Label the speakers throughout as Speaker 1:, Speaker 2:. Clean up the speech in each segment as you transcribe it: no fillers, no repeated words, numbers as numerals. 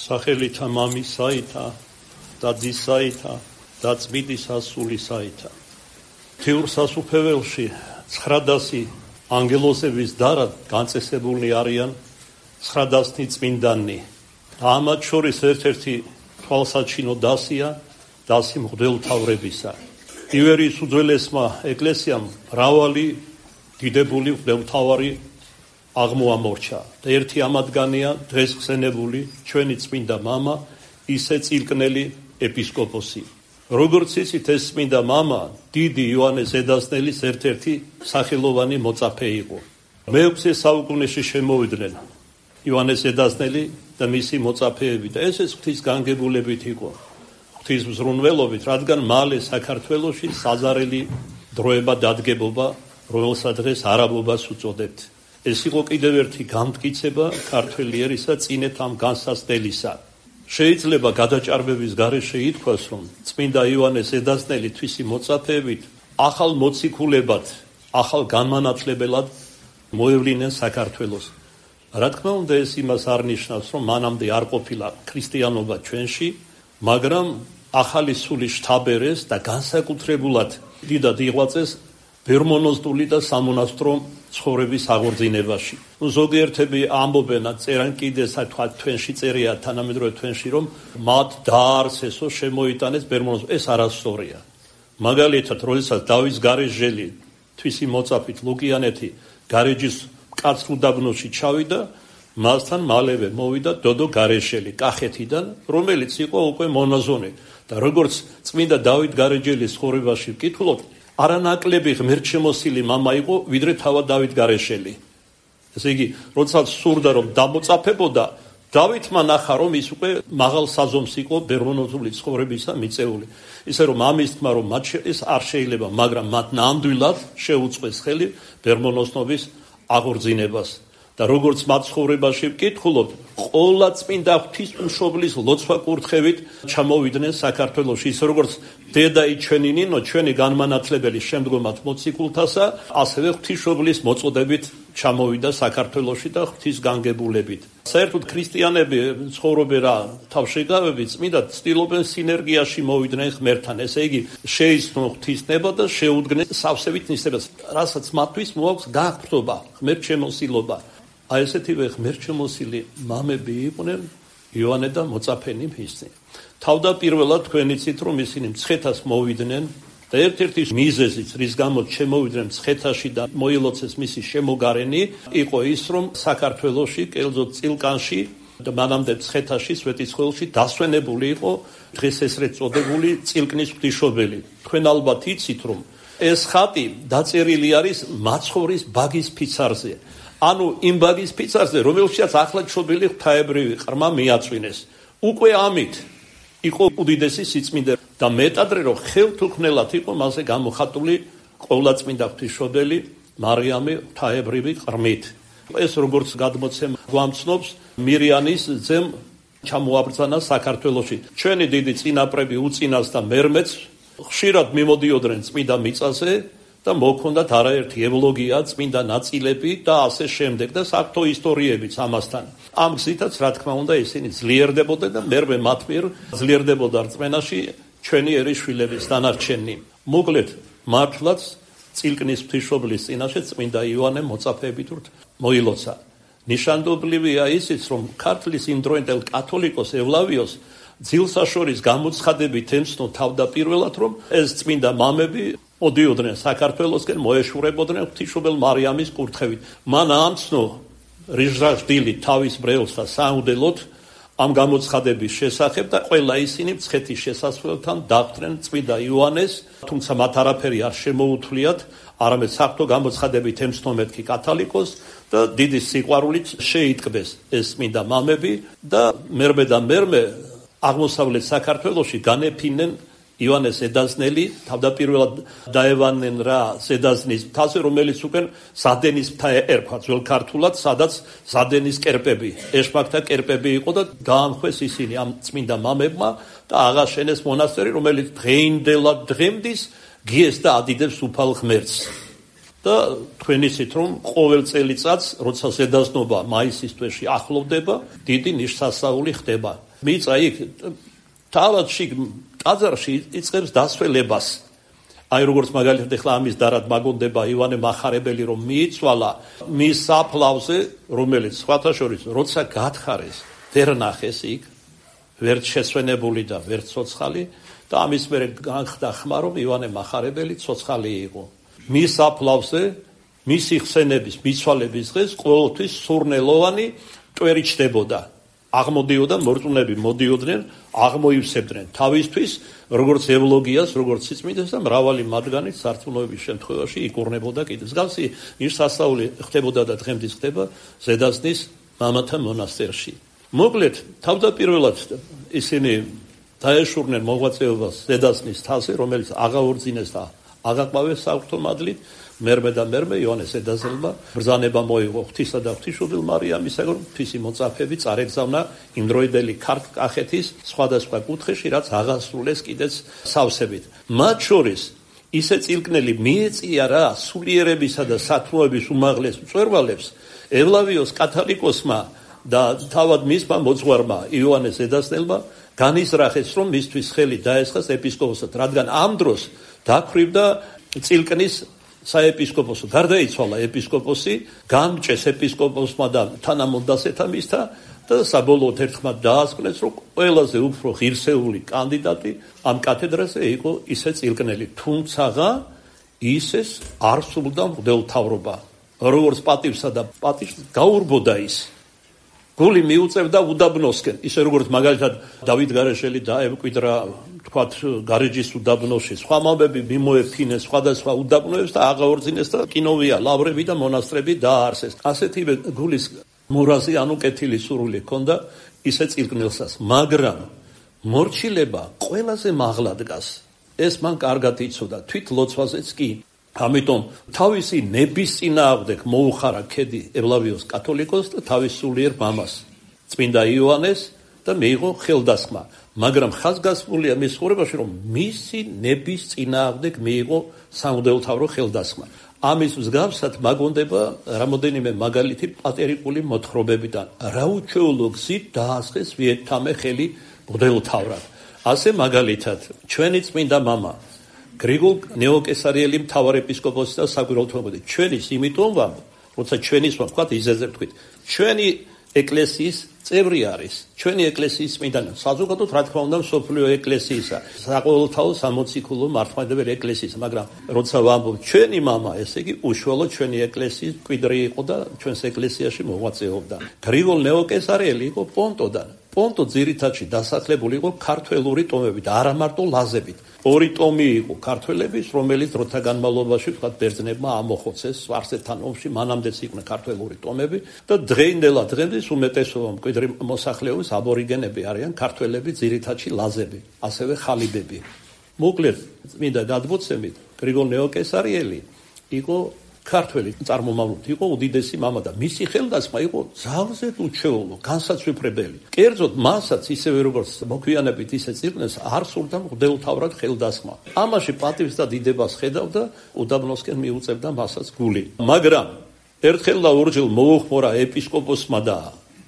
Speaker 1: სახელითა მამისაითა და ძისაითა და წმინდისა სულისაითა. თეორ სასუფეველში 900 ანგელოზების დარად განწესებულნი არიან 900 წმინდანი. ამათ შორის ერთ-ერთი თვალსაჩინო დასია დასი მღვდელმთავრებისა. ივერიის უძველესმა ეკლესიამ მრავალი დიდებული მღვდელმთავარი აღმოამორჩა და ერთი ამათგანია დღეს ხსენებული ჩვენი წმინდა მამა ისე წილკნელი ეპისკოპოსი. როგორც იცით, ეს წმინდა მამა დიდი იოანეს ზედაზნელის ერთ-ერთი სახელოვანი მოწაფე იყო. მე-6 საუკუნეში შემოვიდნენ იოანეს ზედაზნელი და მისი მოწაფეები და ესეც ღვთის განგებულებით იყო, ღვთის მზრუნველობით, რადგან მალე საქართველოში საზარელი დროება დადგებობა, რომელსაც დღეს არაბობას უწოდებთ. ეს იყო კიდევ ერთი განმტკიცება ქართველი ერისა წინეთ ამ განსაცდელისა. შეიძლება გადაჭარბების გარეშე ითქვას, რომ წმინდა იოანეს ზედაზნელი თვისი მოწაფეებით ახალ მოციქულებად, ახალ განმანათლებელად მოევლინეს საქართველოს. რა თქმა უნდა, ეს იმას არ ნიშნავს, რომ მანამდე არ ყოფილა ქრისტიანობა ჩვენში, მაგრამ ახალი სული შთაბერეს და განსაკუთრებულად დიდად იღვაწეს ბერმონოსტული და სამონასტრო ცხოვრების აღორძინებაში. ზოგიერთები ამბობენ, წერან კიდე თქვა თქვენში წერია თანამედროვე თქვენში, რომ მათ დაარსესო შემოიტანეს ბერმონოს. ეს არასწორია. მაგალითად, როდესაც დავითს გარეჯელი თვისი მოწაფით ლუკიანეთი გარეჯის მკაცრ უდაბნოში ჩავიდა, მასთან მალევე მოვიდა დოდო გარეჯელი კახეთიდან, რომელიც იყო უკვე მონაზონი და როგორც წმინდა დავით გარეჯელის ცხოვრებაში ვკითხულობთ, არანაკლები ღმერთშემოსილი მამა იყო, ვიდრე თავად დავით გარეშელი. ესე იგი, როდესაც სურდა რომ დამოწაფებოდა, დავითმა ნახა, რომ ის უკვე მაღალ საზომს იყო ბერმონოსული ცხოვრებისა მიწეული. ისე რომ ამის თქმა, რომ მათ ეს არ შეიძლება, მაგრამ მათ ნამდვილად შეუწყეს ხელი ბერმონოსნობის აღორძინებას. და როგორც მათ ცხოვრებაში ვკითხულობთ, ყველა წმინდა ღვთისმშობლის ლოცვა კურთხევით ჩამოვიდნენ საქართველოში, ის როგორც დედა ჩვენი ნინო, ჩვენი განმანათლებელი შემდგომად მოციქულთასა, ასევე ღვთისმშობლის მოწოდებით ჩამოვიდა საქართველოში და ღვთის განგებულებით. საერთოდ ქრისტიანები ცხოვრობენ რა თავშეგავებით, წმინდა ცდილობენ სინერგიაში მოვიდნენ ღმერთთან, ესე იგი შეიცნონ ღვთისნება და შეუდგნენ სავსებით ნისებას, რასაც მათთვის მოაქვს გაგრძობა, ღმერთშემოსილობა. აი ესეთივე ღმერთშემოსილი მამები იყვნენ იოანე და მოწაფენი მისცი. თავდაპირველად თქვენ იცით, რომ ისინი მცხეთას მოვიდნენ და ერთ-ერთი მიზეზიც, რის გამოც შემოვიდნენ მცხეთაში და მოილოცეს მისი შემოგარენი, იყო ის, რომ საქართველოში, კერძოდ წილკანში და მანამდე მცხეთაში, სვეტიცხოველში დასვენებული იყო დღეს ესრეთ წოდებული წილკნის ღვთისმშობელი. თქვენ ალბათ იცით, რომ ეს ხატი დაწერილი არის მაცხოვრის ბაგის ფიცარზე. ანუ იმ ბაგის ფიცარზე, რომელშიც ახლა ჩობილი ღვთაებრივი ყრმა მიაწვინეს. უკვე ამით იყო უდიდესი სიწმინდე და მეტადრე რომ ხელთუქმნელად იყო მასზე გამოხატული ყოვლადწმინდა ღვთისმშობელი მარიამი ღვთაებრივი ყრმით. ეს როგორც გადმოცემა გვამცნობს, მირიანის ძემ ჩამოაბრძანა საქართველოში. ჩვენი დიდი წინაპრები უწინას და მერმეც ხშირად მიმოდიოდნენ წმინდა მიწაზე და მოქონდათ არაერთი ევლოგია, წმინდა ნაწილები და ასე შემდეგ და საერთო ისტორიებიც ამასთან. ამ გზითაც, რა თქმა უნდა, ისინი ძლიერდებოდნენ და მერმე მათ მიერ ძლიერდებოდა რწმენაში ჩვენი ერის შვილების დანარჩენი. მოკლედ, მართლაც წილკნის ღვთისმშობლის წინაშე წმინდა იოანე მოწაფეებით მოილოცა. ნიშანდობლივია ისიც, რომ ქართლის იმდროინდელ კათოლიკოს ევლავიოს ძილსაშორის გამოცხადებით ემცნო თავდაპირველად, რომ ეს წმინდა მამები მოდიოდნენ საქართველოსკენ, მოეშურებოდნენ ღვთისმშობელ მარიამის კურთხევით. მან ამცნო რიჟრაჟდილი თავის ბრელს და საუნდელოდ ამ გამოცხადების შესახებ და ყველა ისინი მცხეთის შესასვლელთან დახვდნენ წმინდა იოანეს, თუმცა მათ არაფერი არ შემოუთვლიათ, არამედ საერთო გამოცხადებით ემცნო მეთქი კათოლიკოს და დიდი სიყვარულით შეიტყბეს ეს წმინდა მამები და მერმე აღმოსავლეთ საქართველოში განეფინენ იოანეს ზედაზნელი, თავდაპირველად დაევანენ რა ზედაზნის მთაზე, რომელიც უკვე ზადენის მთა ერქვა ძველ ქართულად, სადაც ზადენის კერპები, ეშმაკთა კერპები იყო და გაამხვეს ისინი ამ წმინდა მამებმა და აღაშენეს მონასტერი, რომელიც დღეინდელად დღემდის გიეს და ადიდებს უფალ ღმერთს. და თქვენ იცით, რომ ყოველ წელიწადს, როცა ზედაზნობა მაისის თვეში ახლოვდება, დიდი ნიშსასწაული ხდება. მიწა იქ თავადში ტაძარში იწყებს დასველებას. აი როგორც მაგალითად ახლა ამის დარად მაგონდება ივანე მახარებელი რომ მიიცვალა მის საფლავზე, რომელიც სხვათა შორის როცა გათხარეს, ვერ ნახეს იქ, ვერ შესვენებული და ვერ ცოცხალი და ამის მერე განხდა ხმა რომ ივანე მახარებელი ცოცხალი იყო. მის საფლავზე მისი ხსენების მიცვალების დღეს ყოველთვის სურნელოვანი ტვერი ჩდებოდა. აღმოდიოდა მორწმუნეები მოდიოდნენ, აღმოივსებდნენ თავისთვის, როგორც ევლოგიას, როგორც სიწმინდეს და მრავალი მათგანი სარწმუნოების შემთხვევაში იკურნებოდა კიდე. მსგავსი ნიშნასწაული ხდებოდა და დღემდე ხდება ზედაზნის მამათა მონასტერში. მოკლედ, თავდაპირველად ისინი დაეშურნენ მოღვაწეობას ზედაზნის თასზე, რომელიც აღაურძინეს და აღაყვავეს საღვთო მადლით. მერმე და მერმე იოანე ზედაზელმა ბრძანება მოიღო ღვთისა და ღვთისმშობელ მარიამისაგან, ღვთისი მოწაფეები წარეგზავნა იმდროიდელი ქართკახეთის სხვადასხვა კუთხეში, რაც აღასრულეს კიდეც სავსებით. მათ შორის ისე წილკნელი მიეწია რა სულიერებისა და სათნოების უმაღლეს მწვერვალებს ევლავიოს კათალიკოსმა და თავად მისმა მოძღვარმა იოანე ზედაზელმა განიზრახეს, რომ მისთვის ხელი დაესხას ეპისკოპოსად, რადგან ამ დროს დაქვრივდა წილკნის საეპისკოპოსო, გარდაიცვალა ეპისკოპოსი, გამჭეს ეპისკოპოსმა და თანამონდასეთა მისთა და საბოლოოდ ერთხმად დაასკვნეს, რომ ყველაზე უფრო ღირსეული კანდიდატი ამ კათედრაზე იყო ისე წილკნელი, თუმცაღა ისეს არ სურდა მღვდელმთავრობა. როგორც პატივსა და პატიშს გაურბოდა ის. გული მიუწევდა უდაბნოსკენ, ისე როგორც მაგალითად დავით გარეშელი დაემკვიდრა თქვათ გარეჯის უდაბნოში, სხვა მამები მიმოეფინეს სხვადასხვა უდაბნოებს და აღაორძინეს და კინოვია ლავრები და მონასტრები დააარსეს. ასეთივე გულის მურაზი ანუ კეთილი სურვილი ჰქონდა ისე წილკნელსაც, მაგრამ მორჩილება ყველაზე მაღლა დგას. ეს მან კარგად იცოდა, თვით ლოცვაზეც კი. ამიტომ თავისი ნების წინააღმდეგ მოუხარა ქედი ევლავიოს კათოლიკოსს და თავის სულიერ მამას, წმინდა იოანეს და მიიღო ხელდასხმა. მაგრამ ხაზგასმულია მის ცხოვრებაში, რომ მისი ნების წინააღმდეგ მიიღო სამღვდელმთავრო ხელდასხმა. ამის მსგავსად მაგონდება რამოდენიმე მაგალითი პატერიკული მოთხრობებიდან. რა უჩვეულო გზით დაასხეს ვიეტთამე ხელი მღვდელმთავრად. ასე მაგალითად, ჩვენი წმინდა მამა გრიგოლ ნეოკესარიელი მთავარეპისკოპოსი და საგვირაუთმოქმედი. ჩვენის იმიტომ ვამ, როცა ჩვენის ვთქვათ, იზეზე ვთქვით. ჩვენი ეკლესიის წევრი არის. ჩვენი ეკლესიის წმინდანი. საზოგადოდ რა თქმა უნდა მსოფლიო ეკლესიისა, საყოველთაო სამოციქულო მართლმადიდებელი ეკლესიისა, მაგრამ როცა ვამბობ ჩვენი მამა, ესე იგი უშუალოდ ჩვენი ეკლესიის მკვიდრი იყო და ჩვენს ეკლესიაში მოღვაწეობდა. გრიგოლ ნეოკესარიელი იყო პონტოდან. პონტო ძირითადში დასახლებული იყო ქართველური ტომებით, არა მარტო ლაზებით. ორი ტომი იყო ქართველების, რომელიც დროთა განმავლობაში ვთქვათ ბერძნებმა ამოხოცეს სპარსეთთან ომში, მანამდეც იყვნენ ქართველური ტომები და დღეინდელად დღემდე უმეტესობა მკვიდრი მოსახლეობის აბორიგენები არიან ქართველები, ძირითადში ლაზები, ასევე ხალიბები. მოკლედ, წმინდა გადმოცემით, გრიგოლ ნეოკესარიელი იყო ქართველი წარმომავლობით, იყო უდიდესი მამა და მისი ხელდასხმა იყო ძალზედ უჩვეულო, განსაცვიფრებელი. კერძოდ მასაც ისევე როგორც მოგვიანებით ისე წილკნელს არ სურდა მღვდელმთავრად ხელდასხმა. ამაში პატივს და დიდებას ხედავდა, უდაბნოსკენ მიუწევდა მასაც გული. მაგრამ ერთხელ და ორჯერ მოუხმორა ეპისკოპოსმა და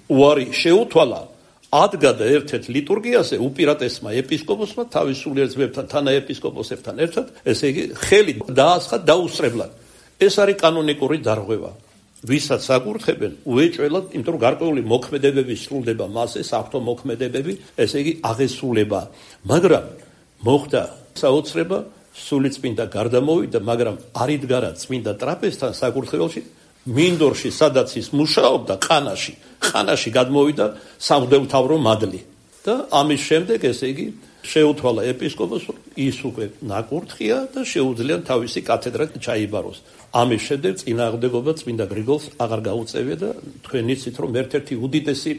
Speaker 1: უარი შეუთვალა, ადგა და ერთ-ერთ ლიტურგიაზე უპირატესმა ეპისკოპოსმა თავის სულიერ ძმებთან, თანაეპისკოპოსებთან ერთად, ესე იგი ხელი დაასხა დაუსწრებლად. ეს არის კანონიკური დარღვევა. ვისაც აკურთხებენ, უეჭველად, იმიტომ რომ გარკვეული მოქმედებები სრულდება მასზე, საღვთო მოქმედებები, ესე იგი აღესრულება. მაგრამ მოხდა საოცრება, სულიწმინდა გარდამოვიდა, მაგრამ არ იდგარა წმინდა ტრაპეზთან საკურთხეველში, მინდორში, სადაც ის მუშაობდა, ხანაში გადმოვიდა სამღვდელმთავრო მადლი. და ამის შემდეგ, ესე იგი, შეუთვალა ეპისკოპოსს, ის უკვე ნაკურთხია და შეუძლია თავისი კათედრა ჩაიბაროს. ამის შემდეგ წინააღმდეგობა წმინდა გრიგოლს აღარ გაუწევია და თქვენ იცით, რომ ერთ-ერთი უდიდესი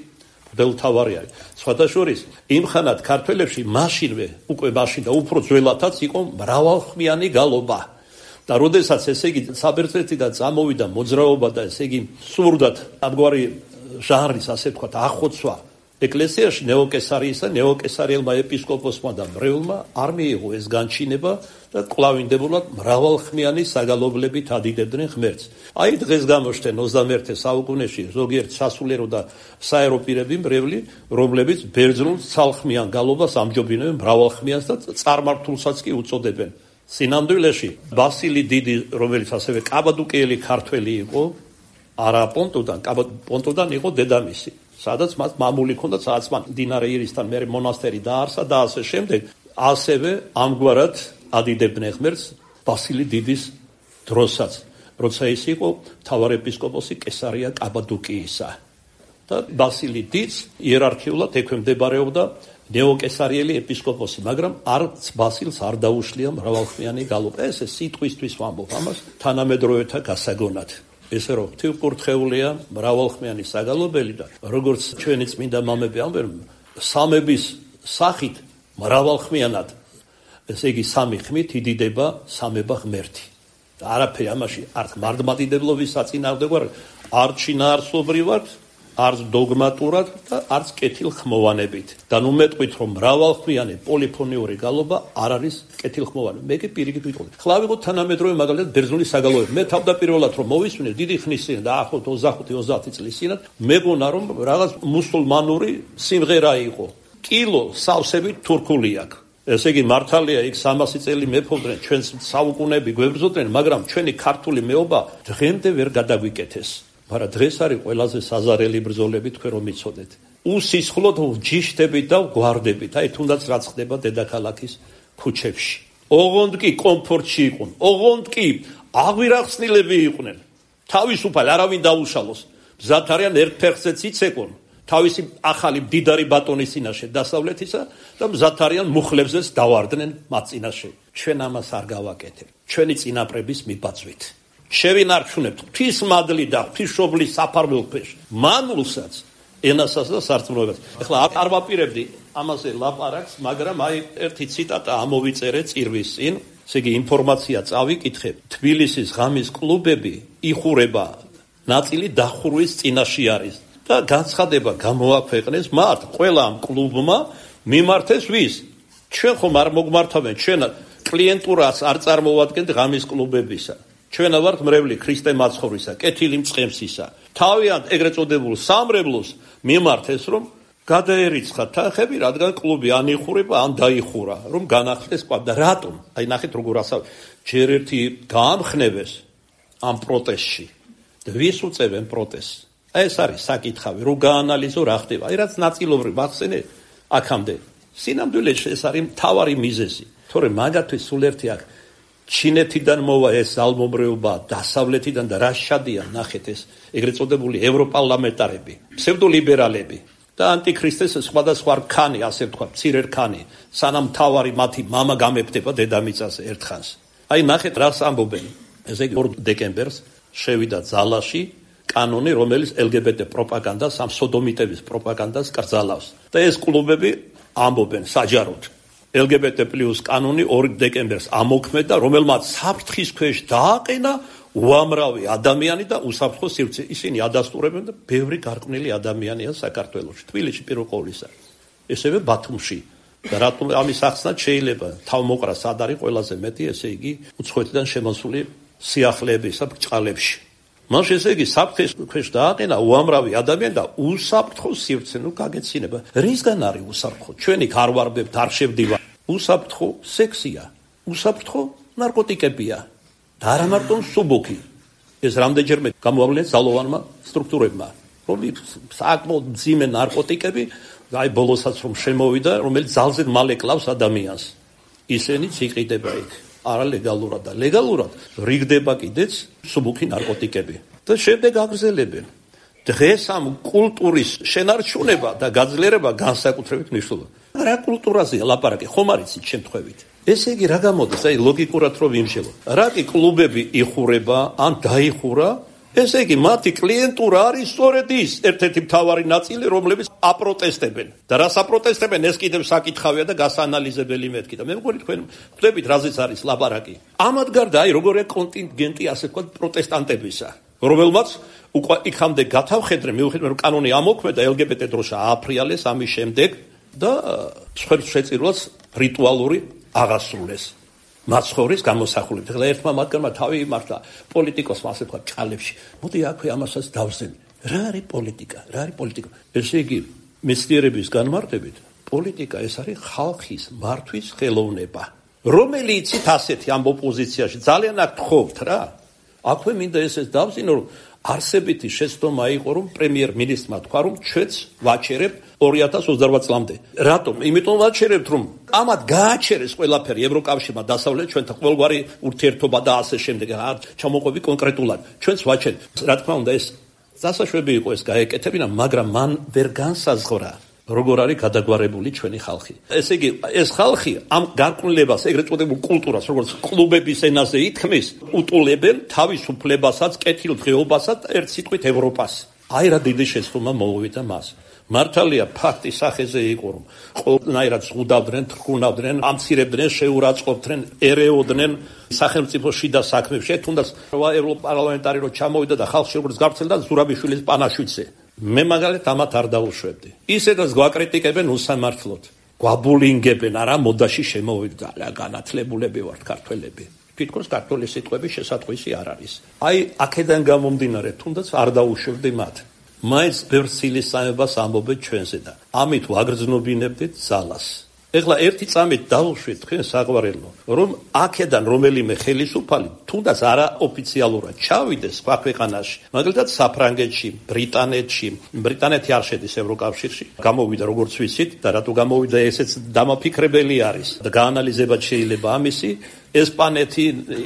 Speaker 1: მღვდელმთავარი არის. სხვათა შორის, იმხანად ქართველებში მაშინვე, უკვე მაშინ და უფრო ძველადაც იყო მრავალხმიანი გალობა. და როდესაც ესე იგი საბერძნეთიდან წამოვიდა მოძრაობა და ესე იგი სურდათ ამგვარი ჟანრის, ასე ვთქვათ, ახოცვა ეკლესიაში ნეოკესარიის და ნეოკესარიელმა ეპისკოპოსმა და მრევლმა არ მიიღო ეს განჩინება და კვლავინდებულად მრავალხმიანი საგალობლებით ადიდებდნენ ღმერთს. აი დღეს გამოჩნდნენ 21 საუკუნეში ზოგიერთ სასულიერო და საერო პირები მრევლი, რომლებიც ბერძნულ ცალხმიან გალობას ამჯობინებენ მრავალხმიანს და წარმართულსაც კი უწოდებენ. სინამდვილეში ბასილი დიდი, რომელიც ასევე კაბადოკიელი ქართველი იყო, არა პონტოდან იყო დედამისი. სადაც მას მამული ჰქონდა, სადაც მან მდინარე ირისთან მერე მონასტერი დაარსა და ასე შემდეგ. ასევე ამგვარად ადიდებდნენ ღმერთს ბასილი დიდის დროსაც, როცა ის იყო მთავარეპისკოპოსი კესარია კაბადოკიისა. და ბასილი დიდს იერარქიულად ექვემდებარებოდა ნეოკესარიელი ეპისკოპოსი, მაგრამ არც ბასილს არ დაუშლია მრავალხმიანი გალობა. ეს სიტყვისთვის ვამბობ ამას თანამედროვეთა გასაგონად. ესე რომ ღვთისმკურთხეულია მრავალხმიანი საგალობელი და როგორც ჩვენი წმინდა მამები ამბობენ, სამების სახით მრავალხმიანად, ესე იგი სამი ხმით იდიდება სამება ღმერთი. და არაფერი ამაში არც მართლმადიდებლობის საწინააღმდეგო არ შინაარსობრივად, არც დოგმატურად და არც კეთილხმოვანებით. და ნუ მეტყვით, რომ მრავალხმიანი პოლიფონიური გალობა არ არის კეთილხმოვანი. მე კი პირიქით ვიტყოდი. ხლა ვიღოთ თანამედროვე მაგალითად ბერძნული საგალობები. მე თავდაპირველად რომ მოვისმინე დიდი ხნის წინ და ახლოთ 25-30 წლის წინათ, მეგონა რომ რაღაც მუსულმანური სიმღერა იყო. კილო სავსებით თურქული აქვს. ესე იგი მართალია იქ 300 წელი მეფობდნენ, ჩვენს საუკუნეები გვებრძოდნენ, მაგრამ ჩვენი ქართული მეობა დღემდე ვერ გადაგვიკეთეს. მაგრამ დღეს არის ყველაზე საზარელი ბრძოლები თქვენ რომ იცოდეთ. უსისხლოდ ჯიშდებით და გვარდებით. აი თუნდაც რაც ხდება დედაქალაქის ქუჩებში. ოღონდ კი კომფორტში იყვნენ. ოღონდ კი აღვირახსნილები იყვნენ. თავისუფალ არავინ დაუშალოს. მზად არიან ერთ ფეხზეც იცეკონ. თავისი ახალი მდიდარი ბატონის წინაშე დასავლეთისა და მზად არიან მუხლებზეც დავარდნენ მათ წინაშე. ჩვენ ამას არ გავაკეთებ. ჩვენი წინაპრების მიბაძვით. შევინარჩუნებთ ღვთისმადლი და ღვთისმშობლის საფარველფერს, მანულსაც, ენასაც და სარწმუნოებას. ეხლა არ ვაპირებდი ამაზე ლაპარაკს, მაგრამ აი ერთი ციტატა ამოვიწერე წირვის წინ, ესე იგი ინფორმაცია წავიკითხე. თბილისის ღამის კლუბები იხურება, ნაწილი დახურვის წინაშე არის და განცხადება გამოაქვეყნეს მათ ყველა ამ კლუბმა მიმართეს ვის? ჩვენ ხომ არ მოგმართავენ, ჩვენ კლიენტურას არ წარმოვადგენთ ღამის კლუბებისა. ჩვენა ვართ მრევლი ქრისტე მაცხოვრისა, კეთილი მწყემსისა. თავიანთ ეგრეთ წოდებულ სამრევლოს მიმართეს, რომ გადაერიცხათ თანხები, რადგან კლუბი ან იხურება, ან დაიხურა, რომ განახლდეს კვად. და რატომ? აი ნახეთ როგორ ასავ. ჯერ ერთი გაამხნევეს ამ პროტესტში. და ვის უწევენ პროტესტს? ეს არის საკითხავი, რომ გაანალიზო რა ხდება. აი რაც ნაწილობრივ ახსენე აქამდე. სინამდვილეში ეს არის მთავარი მიზეზი. თორემ მაგათთვის სულ ერთი აქ ჩინეთიდან მოვა ეს ალმომრეობა, დასავლეთიდან და რა შადიან, ნახეთ ეს ეგრეთ წოდებული ევროპარლამენტარები, ფსევდოლიბერალები და ანტიქრისტეს სხვადასხვა რქანი, ასე ვთქვა, მცირე რქანი, სანამ თავარი მათი მამა გამეფდება დედამიწაზე ერთხანს. აი ნახეთ რას ამბობენ. ესე იგი 2 დეკემბერს შევიდა ძალაში კანონი, რომელიც LGBT პროპაგანდას, ამ სოდომიტების პროპაგანდას კრძალავს. და ეს კლუბები ამბობენ საჯაროდ LGBT+ კანონი 2 დეკემბერს ამოქმედა, რომელმაც საფრთხის ქვეშ დააყენა უამრავი ადამიანი და უსაფრთხო სივრცე. ისინი ადასტურებენ და ბევრი გარყვნილი ადამიანია საქართველოში, თბილისში პირველ ყოვლისა. ესევე ბათუმში. და რატომ ამის ახსნად შეიძლება თავმოყრა სად არის ყველაზე მეტი, ესე იგი უცხოეთიდან შემოსული სიახლეებისა ბრჭყალებში. მაშ ესე იგი საფრთხის ქვეშ დააყენა უამრავი ადამიანი და უსაფრთხო სივრცე, ნუ გაგეცინება. რისგან არის უსაფრთხო? ჩვენი არ ვარბებთ, არ შევდივარ. უსაფრთხო სექსია, უსაფრთხო ნარკოტიკებია და არა მარტო სუბუქი. ეს რამდენჯერმე გამოავლინეს ძალოვანმა სტრუქტურებმა, რომ საკმაოდ მძიმე ნარკოტიკები, აი ბოლოსაც რომ შემოვიდა, რომელიც ძალზე მალე კლავს ადამიანს. ისინიც იყიდება იქ. არა ლეგალურად და ლეგალურად რიგდება კიდეც სუბუქი ნარკოტიკები და შემდეგ აგრძელებენ. დღეს ამ კულტურის შენარჩუნება და გაძლიერება განსაკუთრებით მნიშვნელოვანია. რა კულტურაზეა ლაპარაკი, ხომ არ იცით შემთხვევით? ესე იგი რა გამოდის, აი ლოგიკურად რომ ვიმშელო. რა კი კლუბები იხურება, ან დაიხურა, ესე იგი მათი კლიენტურა არის სწორედ ის ერთ-ერთი მთავარი ნაწილი, რომლებიც აპროტესტებენ. და რას აპროტესტებენ, ეს კიდევ საკითხავია და გასაანალიზებელი მეთქი. და მე მგონი თქვენ ხვდებით რაზეც არის ლაპარაკი. ამად გარდა აი როგორია კონტინგენტი, ასე ვთქვათ, პროტესტანტებისა. რომელმაც უკვე იქამდე გათავხედრე, მიუხედავად რომ კანონი ამოქმედა, LGBT დროშა ააფრიალეს ამის შემდეგ და შეწირვას რიტუალური აღასრულეს. მაცხოვრის გამოსახულებით. ეხლა ერთმა მათგანმა თავი იმართა პოლიტიკოსმა ასე თქვა ჭალებში. მოდი აქვე ამასაც დავზენ. რა არის პოლიტიკა? რა არის პოლიტიკა? ესე იგი, მეცნიერების განმარტებით, პოლიტიკა ეს არის ხალხის მართვის ხელოვნება. რომელიც იცით ასეთი ამ ოპოზიციაში ძალიან აქ თხოვთ რა. აქვე მინდა ესეც დავზინო, რომ არსებითი შეცდომა იყო, რომ პრემიერ-მინისტრმა თქვა, რომ ჩვენც ვაჩერებთ 2028 წლამდე. რატომ? იმიტომ ვაჩერებთ, რომ ამათ გააჩერეს ყველაფერი ევროკავშირმა დასავლეთ ჩვენთან ყოველგვარი ურთიერთობა და ასე შემდეგ. არ ჩამოყვები კონკრეტულად. ჩვენც ვაჩერებთ. რა თქმა უნდა, ეს დასაშვები იყო ეს გაეკეთებინა, მაგრამ მან ვერ განსაზღვრა როგორ არის გადაგვარებული ჩვენი ხალხი. ესე იგი, ეს ხალხი ამ გარკვევლებას, ეგრეთ წოდებულ კულტურას, როგორც კლუბების ენაზე ითქმის, უტულებენ თავისუფლებასაც, კეთილდღეობასაც, ერთ სიტყვით ევროპას. აი რა დიდი შეცდომა მოუვიდა მას. მართალია ფაქტი სახეზე იყო, რომ ყველანაირად ზღუდავდნენ, თრქუნავდნენ, ამცირებდნენ, შეურაცხყოფდნენ, ერეოდნენ სახელმწიფო შიდა საქმეებში. თუნდაც ევროპარლამენტარი რო ჩამოვიდა და ხალხში როგორც გავრცელდა ზურაბიშვილის პანაშვიდზე. მე მაგალითად ამათ არ დაუშვებდი. ისედაც გვაკრიტიკებენ უსამართლოდ. გვაბულინგებენ, არა მოდაში შემოვიდა, განათლებულები ვართ ქართველები. თითქოს ქართული სიტყვების შესატყვისი არ არის. აი, აქედან გამომდინარე, თუნდაც არ დაუშვებდი მათ. მაინც ბევრ ცილისწამებას ამბობენ ჩვენზე და ამით ვაგრძნობინებდით ძალას. ეხლა ერთი წამით დავუშვით თქვენ საყვარელო, რომ აქედან რომელიმე ხელისუფალი თუნდაც არაოფიციალურად ჩავიდეს სხვა ქვეყანაში, მაგალითად საფრანგეთში, ბრიტანეთი არ შედის ევროკავშირში, გამოვიდა როგორც ვიცით და რატო გამოვიდა ესეც დამაფიქრებელი არის და გაანალიზებად შეიძლება ამისი. ესპანეთი,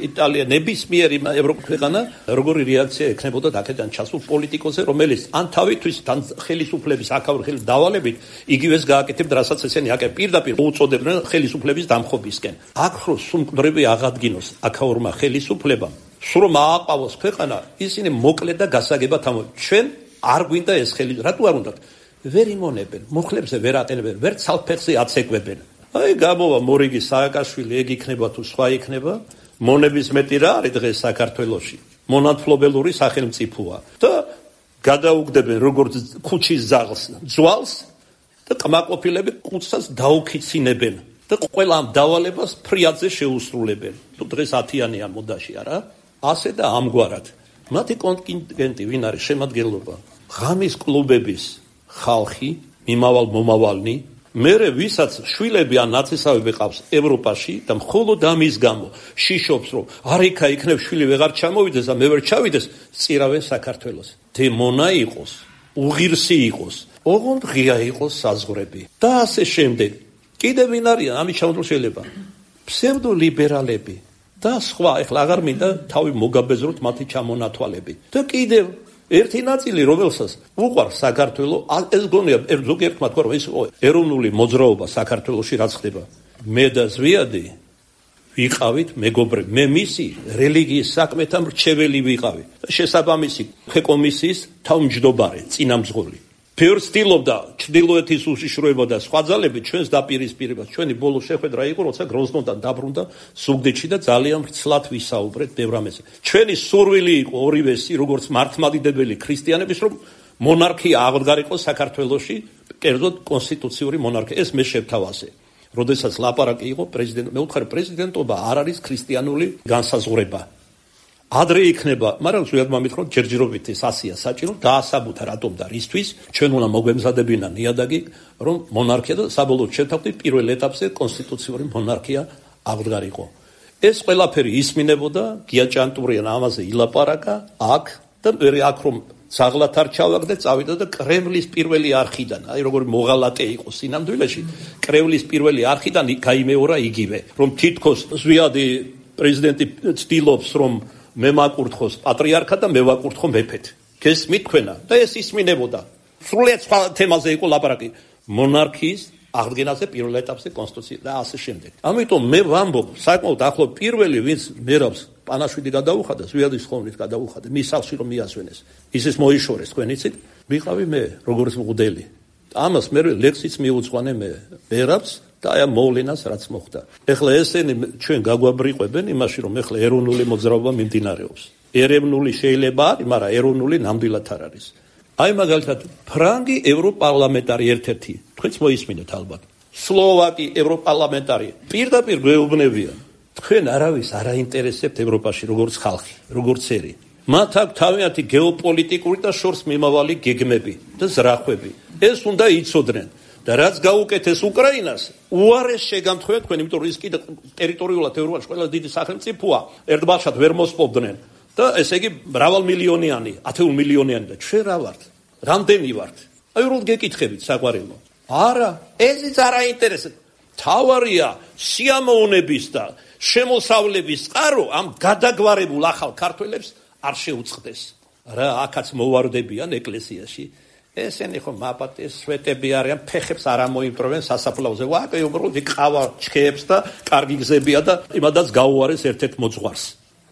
Speaker 1: იტალია, ნებისმიერი ევროქვეყანა როგორი რეაქცია ექნებოდა აქედან ჩასულ პოლიტიკოსზე, რომელიც ან თავისთვის, ან ხელისუფლების აქაური ხელის დავალებით იგივეს გააკეთებდა, რასაც ესენი აკეთებდნენ, პირდაპირ უწოდებდნენ ხელისუფლების დამხობისკენ. აქ რო სუმყდრები აღადგინოს აქაურმა ხელისუფლებამ, სულ რომ ააყავოს ქვეყანა, ისინი მოკლედ და გასაგებად ამბობენ, ჩვენ არ გვინდა ეს ხელისუფლება, რატო არ უნდათ? ვერ იმონებენ, მუხლებზე ვერ აყენებენ, ვერ ცალფეხზე აცეკვებენ. აი გამოვა მორიგი სააკაშვილი, ეგ იქნება თუ სხვა იქნება, მონების მეტი რა არის დღეს საქართველოში. მონათმფლობელური სახელმწიფოა და გადაუგდებენ როგორც ქუჩის ძვალს და კმაყოფილები კუცას დაუქიცინებენ და ყველა ამ დავალებას ფრიადზე შეუსრულებენ. თუ დღეს 10-იანია მოდაში არა? ასე და ამგვარად. მათი კონტინგენტი ვინ არის შემადგენლობა? ღამის კლუბების ხალხი, მიმავალ მომავალნი, მერე ვისაც შვილები ან ნაცისავები ყავს ევროპაში და მხოლოდ ამის გამო შიშობს, რომ არიქა იქნებ შვილი ვეღარ ჩამოვიდეს და მე ვერ ჩავიდეს, წირავენ საქართველოს. დემონა იყოს, უღირსი იყოს, ოღონდ ღია იყოს საზღვრები. და ასე შემდეგ. კიდევ ვინ არიან ამის ჩამოთვლილ შეიძლება? ფსევდოლიბერალები და სხვა, ეხლა აღარ მინდა თავი მოგაბეზროთ მათი ჩამონათვალები. და კიდევ ერთი ნაწილი, რომელსაც უყვარს საქართველო, ეს გონია ზოგიერთმა თქვა, რომ ეს ეროვნული მოძრაობა საქართველოში რაც ხდება. მე და ზვიადი ვიყავით მეგობრები. მე მისი რელიგიის საქმეთა მრჩეველი ვიყავი. შესაბამისი კომისიის თავმჯდომარე, წინამძღოლი. ბევრ ცდილობდა ჩრდილოეთის უშიშროება და სხვა ძალები ჩვენს დაპირისპირებას. ჩვენი ბოლო შეხვედრა იყო, როცა გროზნოდან დაბრუნდა ზუგდიდში და ძალიან ვრცლად ვისაუბრეთ ბევრ ამაზე. ჩვენი სურვილი იყო ორივესი, როგორც მართლმადიდებელი ქრისტიანების, რომ მონარქია აღდგარიყოს საქართველოში, კერძოდ კონსტიტუციური მონარქია. ეს მე შევთავაზე. როდესაც ლაპარაკი იყო მე ვუთხარი, პრეზიდენტობა არ არის ქრისტიანული განსაზღვრება. ადრე იქნება, მაგრამ ზოგადად მითხრობ, ჯერჯერობით ეს ასია საჭირო, დაასაბუთა რატომ და რისთვის, ჩვენ უნდა მოგვემზადებინა ნიადაგი, რომ მონარქია და საბოლოოდ შევთავაზეთ პირველ ეტაპზე კონსტიტუციური მონარქია აღდგარიყო. ეს ყველაფერი ისმინებოდა, გია ჭანტურიან ამაზე ილაპარაკა, აქ და მე აქ რომ ძაღლად არ ჩავაგდე, წავიდა და კრემლის პირველი არხიდან, აი როგორი მოღალატე იყო სინამდვილეში, კრემლის პირველი არხიდან გაიმეორა იგივე, რომ თითქოს ზვიადი პრეზიდენტი ცდილობს, რომ მე მაკურთხოს პატრიარქად და მე ვაკურთხო მეფედ. გესმით თქვენა? და ეს ისმინებოდა. სრულიად სხვა თემაზე იყო ლაპარაკი. მონარქიის აღდგენაზე პირველ ეტაპზე კონსტიტუცია და ასე შემდეგ. ამიტომ მე ვამბობ, საკმაოდ ახლო პირველი ვინც მერავს პანაშვიდი გადაუხადა, ზვიადის ხოვნით გადაუხადა, მის სახლში რომ მიასვენეს. ისეს მოიშორეს, თქვენ იცით? ვიყავი მე, როგორც მღვდელი. ამას მე ლექსიც მიუძღვანე მე მერავს და აი მოვლენას რაც მოხდა. ეხლა ესენი ჩვენ გაგვაბრიყვებენ იმაში, რომ ეხლა ეროვნული მოძრაობა მიმდინარეობს. ეროვნული შეიძლება არის, მაგრამ ეროვნული ნამდვილად არ არის. აი მაგალითად, ფრანგი ევროპარლამენტარი ერთ-ერთი, თქვენც მოისმინეთ ალბათ. სლოვაკი ევროპარლამენტარი პირდაპირ გვეუბნებიან. თქვენ არავის არ აინტერესებთ ევროპაში როგორც ხალხი, როგორც ერი. მათ აქვს თავიანთი გეოპოლიტიკური და შორს მიმავალი გეგმები და ზრახვები. ეს უნდა იცოდნენ. და რაც გაუკეთეს უკრაინას, უარეს შეგამთხვევა თქვენ, იმიტომ რომ ის კიდე ტერიტორიულად ევროპაში ყველა დიდი სახელმწიფოა, ერთბაშად ვერ მოსპობდნენ და ესე იგი მრავალმილიონიანი, 10 მილიონიანი და ჩვენ რა ვართ? რამდენი ვართ? აი რომ გეკითხებით საყვარელო. არა, ესიც არ აინტერესებს. თავარია სიამოვნების და შემოსავლების წყარო ამ გადაგვარებულ ახალ ქართველებს არ შეუწყდეს. რა აქაც მოვარდებიან ეკლესიაში. ესენი ხო მაპატეს სვეტები არიან, ფეხებს არ ამოიმტვრევენ სასაფლაოზე. ვაკე უბრალოდ ყავა ჩქეებს და კარგი გზებია და იმადაც გაუარეს ერთ-ერთ მოძღვარს.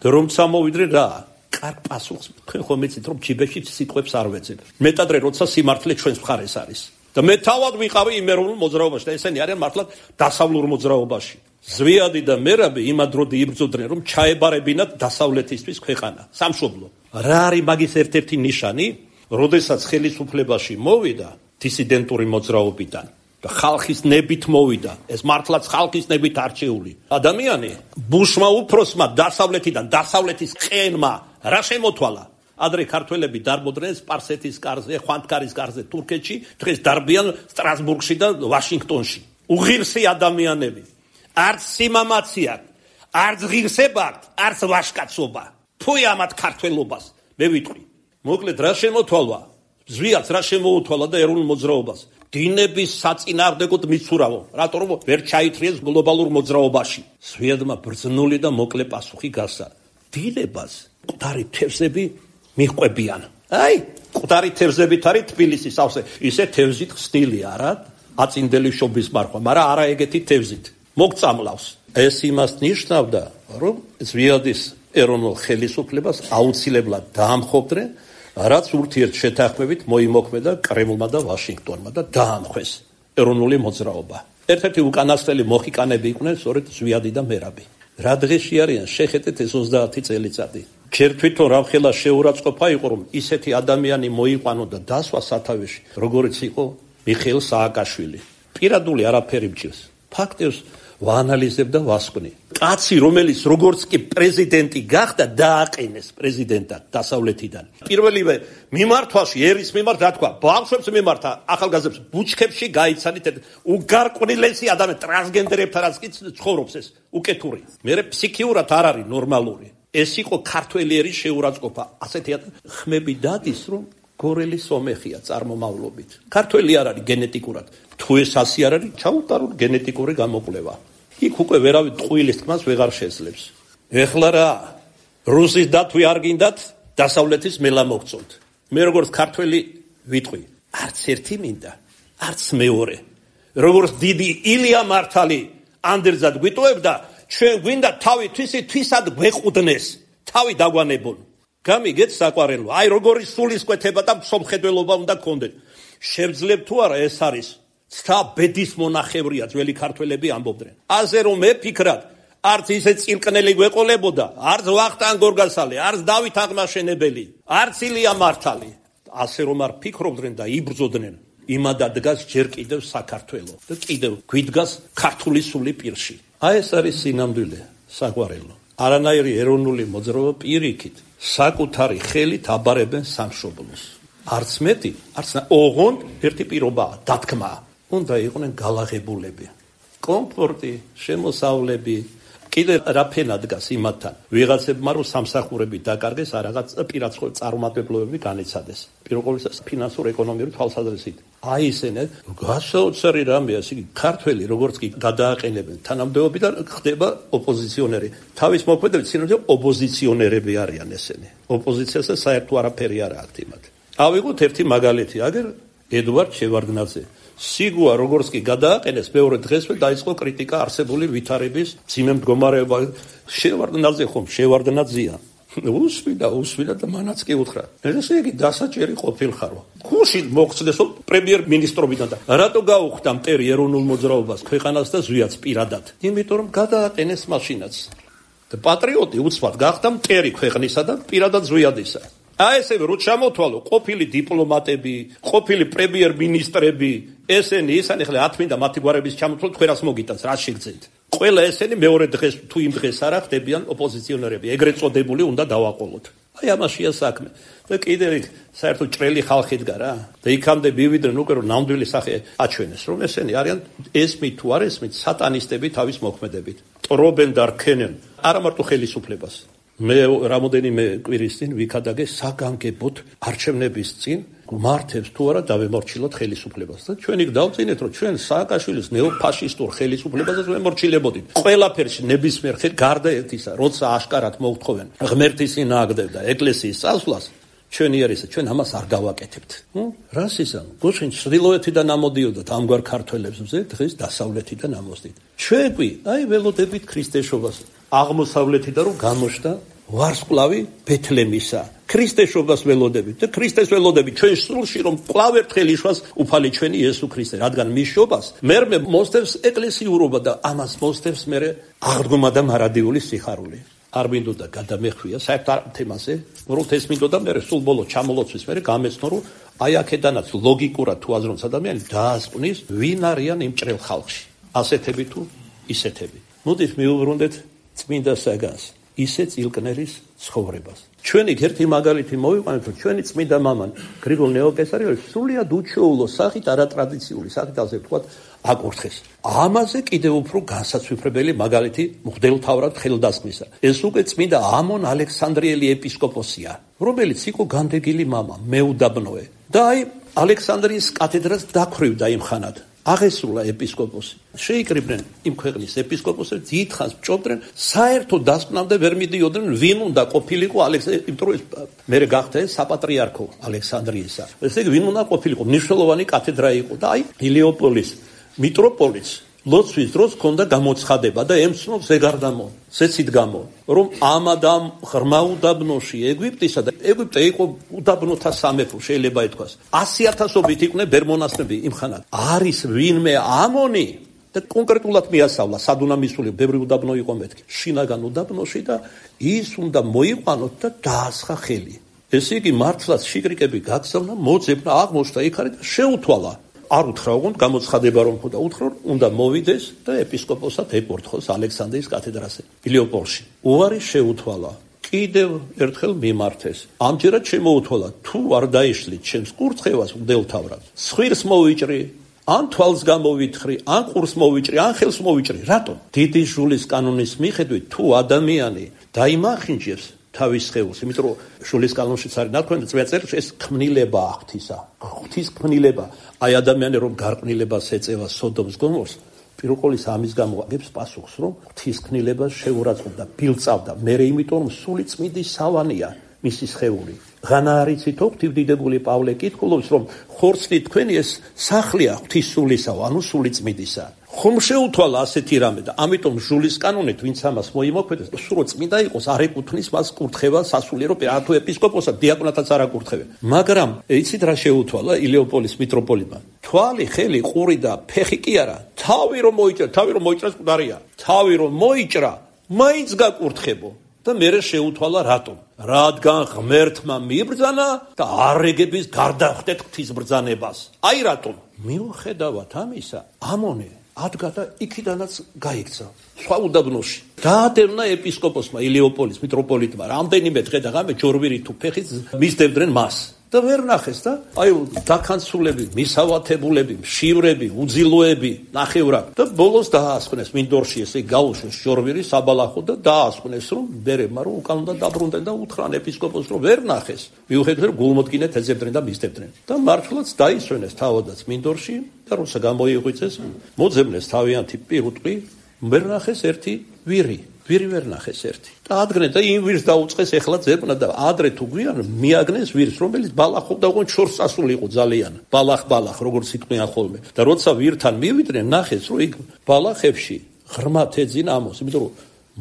Speaker 1: და რომ წამოვიდნენ რა? კარგ პასუხს თქვენ ხომ იცით რომ ჯიბეში სიტყვებს არ ვეძებ. მეტადრე როცა სიმართლე ჩვენს მხარეს არის. და მე თავად ვიყავი იმ ეროვნულ მოძრაობაში და ესენი არიან მართლაც დასავლურ მოძრაობაში. ზვიადი და მერაბი იმადროდი იბრძოდნენ რომ ჩაებარებინათ დასავლეთისთვის ქვეყანა, სამშობლო. რა არის მაგის ერთ-ერთი ნიშანი? როდესაც ხელისუფლებაში მოვიდა დისიდენტური მოძრაობიდან და ხალხის ნებით მოვიდა, ეს მართლაც ხალხის ნებით არჩეული ადამიანი, ბუშმა უფროსმა დასავლეთიდან დასავლეთის ყენმა რა შემოთვალა? ადრე ქართველები დარბოდნენ სპარსეთის კარზე, ხვანთკარის კარზე თურქეთში, დღეს დარბიან სტრასბურგში და ვაშინგტონში. უღირსი ადამიანები. არც სიმამაცი აქვს, არც ღირსება აქვს, არც ვაშკაცობა. ფუი ამათ ქართველობას, მე ვიტყვი. მოკლედ რა შემოთვალვა? ზვიაც რა შემოუთვალა და ეროვნულ მოძრაობას? დინების საწინააღმდეგოდ მიცურავო. რატო რომ ვერ ჩაითრიეს გლობალურ მოძრაობაში? ზვიადმა ბრძნული და მოკლე პასუხი გასცა. დინებას მკვდარი თევზები მიჰყვებიან. აი, მკვდარი თევზებით არის თბილისის სავსე. ისე თევზით ხსნილი არა, აწინდელი შობის მარხვა, მაგრამ არა ეგეთი თევზით. მოგწამლავს. ეს იმას ნიშნავდა, რომ ზვიადის ეროვნულ ხელისუფლებას აუცილებლად დაამხობდნენ, რაც ურთიერთ შეთანხმებით მოიმოქმედა კრემლმა და ვაშინგტონმა და დაამხეს ეროვნული მოძრაობა. ერთ-ერთი უკანასკნელი მოხიკანები იყვნენ სწორედ ზვიადი და მერაბი. რა დღეში არიან? შეხედეთ ეს 30 წელიწადი. ჯერ თვითონ რამხელა შეურაცხყოფა იყო, რომ ისეთი ადამიანი მოიყვანო და დასვა სათავეში, როგორც იყო მიხეილ სააკაშვილი. პირადული არაფერი მჭირს. ფაქტებს ვაანალიზებ და ვასკვნი. კაცი, რომელიც როგორც კი პრეზიდენტი გახდა, დააყენეს პრეზიდენტად დასავლეთიდან. პირველივე მიმართვაში ერის მიმართ რა თქვა? ბავშვებს მიმართა, ახალგაზრდებს ბუჩქებში გაიცანით, უგარყვნილესი ადამიანი ტრანსგენდერებთანაც კი ცხოვრობს ეს უკეთური. მერე ფსიქიურად არ არის ნორმალური. ეს იყო ქართველი ერის შეურაცხყოფა. ასეთი ხმები დადის, რომ გორელი სომეხია წარმომავლობით. ქართველი არ არის გენეტიკურად. თუ ეს ასე არ არის, ჩაუტარულ გენეტიკური გამოკვლევა. იქ უკვე ვერავინ ტყუილის თქმას ვეღარ შეძლებს. ეხლა რა? რუსის დათვი არ გინდათ, დასავლეთის მელა მოგწონთ. მე როგორც ქართველი ვიტყვი, არც ერთი მინდა, არც მეორე. როგორც დიდი ილია მართალი ანდერძად გვიტოვებდა, ჩვენ გვინდა თავი თვისად გვეყუდნეს, თავი დაგვანებონ. გამიგეთ საყვარელო, აი როგორი სულისკვეთება და მსოფლმხედველობა უნდა გქონდეთ. შევძლებ თუ არა ეს არის ცთა ბედის მონახევრია ძველი ქართველები ამბობდნენ. ასე რომ მე ფიქრად, არც ისე წილკნელი გვეყოლებოდა, არც ვახტანგ გორგასალი, არც დავით აღმაშენებელი, არც ილია მართალი. ასე რომ არ ფიქრობდნენ და იბრძოდნენ, იმადა დგას ჯერ კიდევ საქართველო და კიდევ გვიდგას ქართული სული პირში. აი ეს არის სინამდვილე, საყვარელო. არანაირი ეროვნული მოძრაობა პირიქით საკუთარი ხელით აბარებენ სამშობლოს. არც მეტი, არც ოღონდ ერთი პირობაა, დათქმა. უნდა იყვნენ გალაღებულები. კომფორტი, შემოსავლები, კიდე რა ფენა დგას იმათთან. ვიღაცებმა რომ სამსახურები დაკარგეს, რაღაც პირაცხო წარმატებულობები განიცადეს. პირველ ყოვლისა ფინანსურ ეკონომიური თვალსაზრისით. აი ესენე გასაოცარი რამეა, ისე ქართველი როგორც კი გადააყენებენ თანამდებობიდან ხდება ოპოზიციონერი. თავის მოქმედებით სინამდვილე ოპოზიციონერები არიან ესენი. ოპოზიციასა საერთო არაფერი არ აქვს იმათ. ავიღოთ ერთი მაგალითი, აგერ ედუარდ შევარდნაძე. სიგუა როგორც კი გადააყენეს, მეორე დღესვე დაიწყო კრიტიკა არსებული ვითარების ძიმე მდგომარეობა. შევარდნაძე ხომ შევარდნაძეა. უსვიდა და მანაც კი უთხრა. ესე იგი დასაჭერი ყოფილხარო. გუში მოხსნესო პრემიერ-მინისტრობიდან და რატო გაუხდა მტერი ეროვნულ მოძრაობას ქვეყანას და ზვიაც პირადად? იმიტომ რომ გადააყენეს მაშინაც. და პატრიოტი უცბად გახდა მტერი ქვეყნისა და პირადად ზვიადისა. ესევე რო ჩამოთვალო ყოფილი დიპლომატები, ყოფილი პრემიერ-მინისტრები, ესენი ისანი ხლა ათმინდა მათი გვარების ჩამოთვალო თქვენ რას მოგიტანს, რას შეგძენთ. ყველა ესენი მეორე დღეს თუ იმ დღეს არა ხდებიან ოპოზიციონერები, ეგრეთ წოდებული უნდა დავაყოლოთ. აი ამაშია საქმე. და კიდევ საერთოდ ჭრელი ხალხი დგა რა. და იქამდე მივიდნენ უკვე რომ ნამდვილი სახე აჩვენეს, რომ ესენი არიან ესმით თუ არ ესმით სატანისტები თავის მოქმედებით. ტრობენ და რქენენ არა მარტო ხელისუფლებას. მე რამოდენიმე კვირის წინ ვიქადაგე საგანგებოდ არჩევნების წინ მართებს თუ არა დავემორჩილოთ ხელისუფლებას და ჩვენი გავწინეთ რომ ჩვენ სააკაშვილის ნეოფაშისტურ ხელისუფლებასაც ვემორჩილებოდით ყველაფერში ნებისმიერ ხელ გარდა ერთისა როცა აშკარად მოუთხოვენ ღმერთის წინააღმდეგ და ეკლესიის წასვლას ჩვენი არისა ჩვენ ამას არ გავაკეთებთ. რას ისა? გუშინ ჩრდილოეთიდან ამოდიოდათ ამგვარ ქართველებს მზე დღეს დასავლეთიდან ამოსდით. ჩვენ კი აი ველოდებით ქრისტეშობას აღმოსავლეთიდან რომ გამოშდა ვარსკვლავი ბეთლემისა. ქრისტეშობას ველოდებით და ქრისტეს ველოდებით ჩვენ სულში რომ კვლავ ერთხელ იშვას უფალი ჩვენი იესო ქრისტე, რადგან მის შობას მერმე მოსდევს ეკლესიურობა და ამას მოსდევს მერე აღდგომა და მარადიული სიხარული. არ მინდოდა გადამეხვია საერთოდ თემაზე, რომ ეს მინდოდა მერე სულ ბოლო ჩამოლოცვის მერე გამეცნო რომ აი აქედანაც ლოგიკურად თუ აზრობს ადამიანი დაასკვნის ვინ არიან იმ ჭრელ ხალხში. ასეთები თუ ისეთები. მოდით მივუბრუნდეთ წმინდა საგანს. ისე წილკნერის ცხოვრებას. ჩვენი ერთი მაგალითი მოვიყვანეთ, რომ ჩვენი წმინდა მამა გრიგოლ ნეოკესარიელი სრულიად უჩვეულო სახით არატრადიციული სახით ასე ვთქვათ აკურთხეს. ამაზე კიდევ უფრო განსაცვიფრებელი მაგალითი მღვდელმთავრად ხელდასხმისა. ეს უკვე წმინდა ამონ ალექსანდრიელი ეპისკოპოსია, რომელიც იყო განდეგილი მამა, მეუდაბნოე. და აი ალექსანდრიის კათედრას დაქრივდა იმ ხანად. აღესრულა ეპისკოპოსი. შეიკრიბნენ იმ ქვეყნის ეპისკოპოსებს, დიდხანს ბჭობდნენ, საერთოდ დასკვნამდე ვერ მიდიოდნენ, ვინ უნდა ყოფილიყო იმიტომ რომ მერე გახდა ეს საპატრიარქო ალექსანდრიისა. ესე იგი ვინ უნდა ყოფილიყო, მნიშვნელოვანი კათედრა იყო და აი ილეოპოლის მიტროპოლიც ლოცვის დროს ჰქონდა გამოცხადება და ემცნობს ეგარდამო, ზეცით გამო, რომ ამ ადამ ღრმა უდაბნოში ეგვიპტისა და ეგვიპტე იყო უდაბნოთა სამეფო, შეიძლება ითქვას. 100,000-ობით იყვნენ ბერმონასტები იმხანად. არის ვინმე ამონი და კონკრეტულად მიასავლა სადუნამისული ბევრი უდაბნო იყო მეთქი. შინაგან უდაბნოში და ის უნდა მოიყვანოთ და დაასხა ხელი. ესე იგი მართლაც შიკრიკები გაგზავნა, მოძებნა, აღმოჩნდა იქ არის და შეუთვალა. არ უთხრა უგონთ გამოცხადება რომ ხოდა უთხრა უნდა მოვიდეს და ეპისკოპოსად ეკურთხოს ალექსანდრიის კათედრაზე ილეოპოლში. უარი შეუთვალა. კიდევ ერთხელ მიმართეს. ამჯერად შემოუთვალა თუ არ დაიშლით ჩემს კურთხევას მღვდელმთავრად. სხვირს მოვიჭრი, ან თვალს გამოვითხრი, ან ყურს მოვიჭრი, ან ხელს მოვიჭრი. რატომ? დიდი ჟულის კანონის მიხედვით თუ ადამიანი დაიმახინჯებს თავის სხეულს, იმიტომ რომ შულის კანონშიც არის ნათქვამი წვია წერილში ეს ქმნილება ღვთისა. ღვთის ქმნილება. აი ადამიანი რომ გარყვნილებას ეწევა სოდომს გომორს, პირუყოლის ამის გამო აგებს პასუხს, რომ ღვთის ქმნილებას შეურაცხყოფდა, ბილწავდა. მერე იმიტომ რომ სული წმინდის სავანია მისი სხეული. ღანა არიცითო ღვთივდიდებული პავლე კითხულობს, რომ ხორცლი თქვენი ეს სახლია ღვთის სულისა, ანუ სული წმინდისა. ხომ შეუთვალა ასეთი რამე და ამიტომ ჟულის კანონით ვინც ამას მოიმოქმედებს, სულ წმინდა იყოს, არ ეკუთვნის მას კურთხევა სასულიერო თუ ეპისკოპოსად, დიაკვნათაც არ აკურთხებენ. მაგრამ იცით რა შეუთვალა ილეოპოლის მიტროპოლიტმა? თვალი, ხელი, ყური და ფეხი კი არა, თავი რომ მოიჭრას მკვდარია. თავი რომ მოიჭრა, მაინც გაკურთხებო. და მერე შეუთვალა რატომ? რადგან ღმერთმა მიბრძანა და არეგების გარდახვდეთ ღვთის ბრძანებას. აი რატომ? მიუხედავად ამისა, ამონე ადგა და იქიდანაც გაიქცა სხვა უდაბნოში. დაადევნა ეპისკოპოსმა ილეოპოლის მიტროპოლიტმა რამდენიმე დღე და ღამე ჯორვირი თუ ფეხით მისდევდნენ მას. და ვერ ნახეს და აი დაქანცულები, მისავათებულები, მშივრები, უძილოები ნახევრად და ბოლოს დაასხვნეს მინდორში ესე გაუშვეს ჯორვირი საბალახო და დაასხვნეს რომ ბერებმა რომ უკან უნდა დაბრუნდნენ და უთხრან ეპისკოპოსს რომ ვერ ნახეს. მიუხედავად რომ გულმოდგინედ ეძებდნენ და მისდევდნენ. და მართლაც დაისვენეს თავადაც მინდორში და როცა გამოიღვიძეს, მოძებნეს თავიანთი პირუტყვი, ვერ ნახეს ერთი ვირი. ვირი ვერ ნახეს ერთი. და ადგენენ და იმ ვირს დაუწყეს ეხლა ძებნა და ადრე თუ გვიან მიაგნეს ვირს, რომელიც ბალახობდა უგონ შორს წასული იყო ძალიან. ბალახ როგორც იყვნენ ხოლმე. და როცა ვირთან მივიდნენ, ნახეს რომ იქ ბალახებში ღრმად ეძინა ამოს, იმიტომ რომ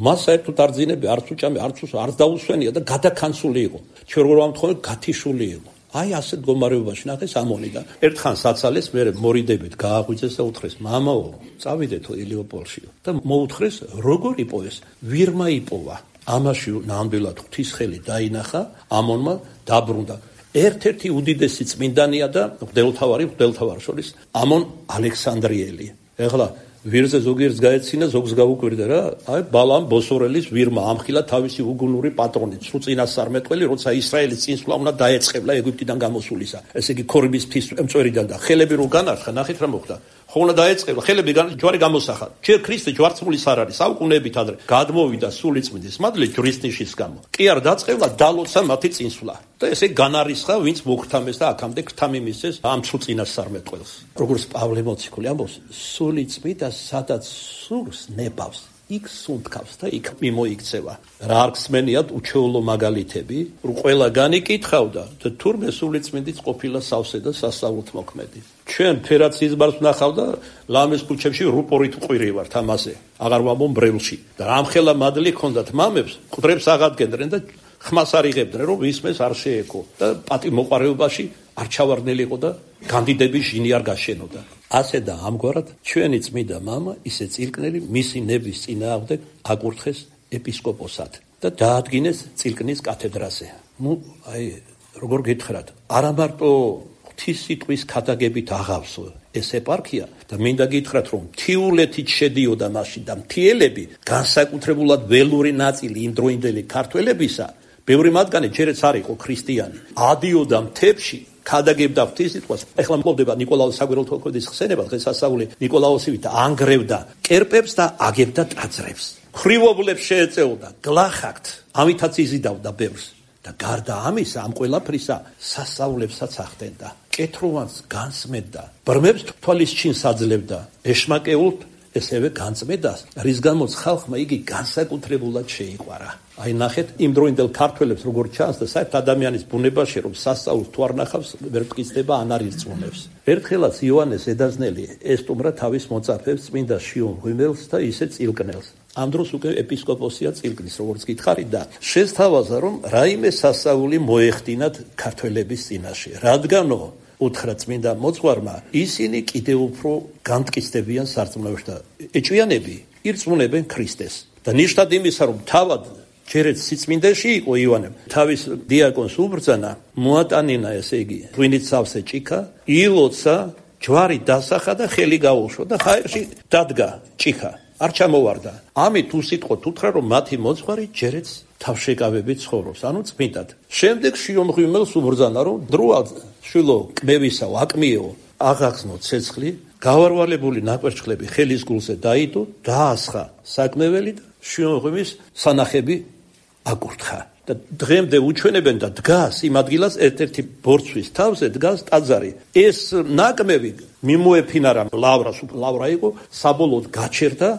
Speaker 1: მას საერთოდ არ ძინები, არც უჭამი, არც დაუსვენია და გადაკანცული იყო. ჩვენ როგორ ვამთხოვენ, გათიშული იყო. აი ასე მდგომარეობაში ნახეს ამონი და ერთხან საცალეს მე მორიდებით გააღვიძეს და უთხრეს მამაო წავიდეთო ელიოპოლში და მოუთხრეს როგორ იპოვეს ვირმა იპოვა ამაში ნამდვილად ღვთისხელი დაინახა ამონმა დაბრუნდა ერთ-ერთი უდიდესი წმინდანია და მღვდელთავარ შორის ამონ ალექსანდრიელი ეხლა ვირზე ზოგიერთ გაეცინა ზოგს გაუკვირდა რა აი ბალამ ბოსორელის ვირმა ამხილა თავისი უგუნური პატრონი წუწინასწარმეტყველი როცა ისრაელის წინსვლა უნდა დაეწყებლა ეგვიპტიდან გამოსულისა ესე იგი ქორიბის მთის მწვერიდან და ხელები რო განარხა ნახეთ რა მოხდა ხო უნდა დაეწყებლა ხელები ჯვარი გამოსახა ჯერ ქრისტე ჯვარცმულის არ არის საუკუნეებით ადრე გადმოვიდა სულიწმინდის მადლი ჯვრისნიშის გამო კი არ დაწყებლა დალოცა მათი წინსვლა და ესე განარისხა ვინც მოხთამეს და აქამდე ქთამიმისეს ამ წუწინასწარმეტყველს როგორც პავლე მოციქული ამბობს სულიწმინდა სადაც სურს ნებავს იქ სუნთქავს და იქ მიმოიქცევა რა არ გსმენიათ უჩვეულო მაგალითები რომ ყველა განიკითხავდა და თურმე სულიწმინდიც ყოფილა სავსე და სასწაულთ მოქმედი ჩვენ ფერაც იზბარს ვნახავდა ლამის ქუჩებში რუპორით ყვირი ვართ ამაზე აღარ ვამბობ ბრევლში და რამხელა მადლი ქონდათ მამებს ყდრებს აღადგენდნენ და ხმას არ იღებდნენ რომ ისმეს არ შეეკო და პატიმოყარეობაში არ ჩავარდნელი იყო და განდიდების ჟინი არ გაშენოდა ასე და ამგვარად ჩვენი წმინდა მამა ისე წილკნელი მისი ნების წინააღმდეგ აკურთხეს ეპისკოპოსად და დაადგინეს წილკნის კათედრაზე ნუ აი როგორ გითხრათ არა მარტო ღვთის სიტყვის ქადაგებით აღავსო ეს ეპარქია და მინდა გითხრათ რომ მთიულეთით შედიოდა მაშინ და მთიელები განსაკუთრებულად ველური ნაწილი იმდროინდელი ქართველებისა ბევრი მათგანი ჯერაც არ იყო ქრისტიანი ადიოდა მთებში ქადაგებდა ღვთის სიტყვას ეხლა მყოფდება ნიკოლაოს საგვირელთმოქმედის ხსენება დღესასწაული ნიკოლაოსივით ანგრევდა კერპებს და აგებდა ტაძრებს ხრივობლებს შეეწეოდა გლახაკთ ამითაც იზიდავდა ბევრს და გარდა ამისა ამ ყველაფრისა სასწაულებსაც ახდენდა კეთროვანს განსმენდა ბრმებს თვალის ჩინს აძლევდა ეშმაკეულთ ესევე განწმედას რის გამოც ხალხმა იგი განსაკუთრებულად შეიყვარა აი ნახეთ იმ დროინდელ ქართველებს როგორ ჩანს და საერთოდ ადამიანის ბუნებაში რომ სასწაულს თუ არ ნახავს ვერ მტკიცდება ან არ ირწმუნებს ერთხელაც იოანეს ედაზნელი ესტუმრა თავის მოწაფეებს წმინდა შიომ ღიმელს და ისე წილკნელს ამ დროს უკვე ეპისკოპოსია წილკნის როგორც გითხარი და შესთავაზა რომ რაიმე სასწაული მოეხდინათ ქართველების წინაშე რადგანო უთხრა წმინდა მოძღვარმა ისინი კიდევ უფრო განმტკიცდებიან სარწმუნოებში და ეჭვიანები ირწმუნებენ ქრისტეს და ნიშნად იმისა რომ თავად ჯერეთ სიწმინდეში იყო ივანემ თავის დიაკონს უბრძანა მოატანინა ესე იგი ღვინით სავსე ჭიქა ილოცა ჯვარი დასახა და ხელი გაუშვა და ხაერში დადგა ჭიქა არ ჩამოვარდა ამით უსიტყვოდ უთხრა რომ მათი მოძღვარი ჯერეთ თავშეკავებით ცხოვრობს ანუ წმინდად შემდეგ შიომღვიმელს უბრძანა რომ დროა შვილო კმევისა ვაკმიო აღახსნო ცეცხლი გავარვალებული ნაკვერჩხლები ხელის გულზე დაიდო დაასხა საკმეველი და შიომღვიმის სანახები აკურთხა და დღემდე უჩვენებენ და დგას იმ ადგილას ერთ-ერთი ბორცვის თავზე დგას ტაძარი ეს ნაკმევი მიმოეფინარა ლავრა იყო საბოლოოდ გაჩერდა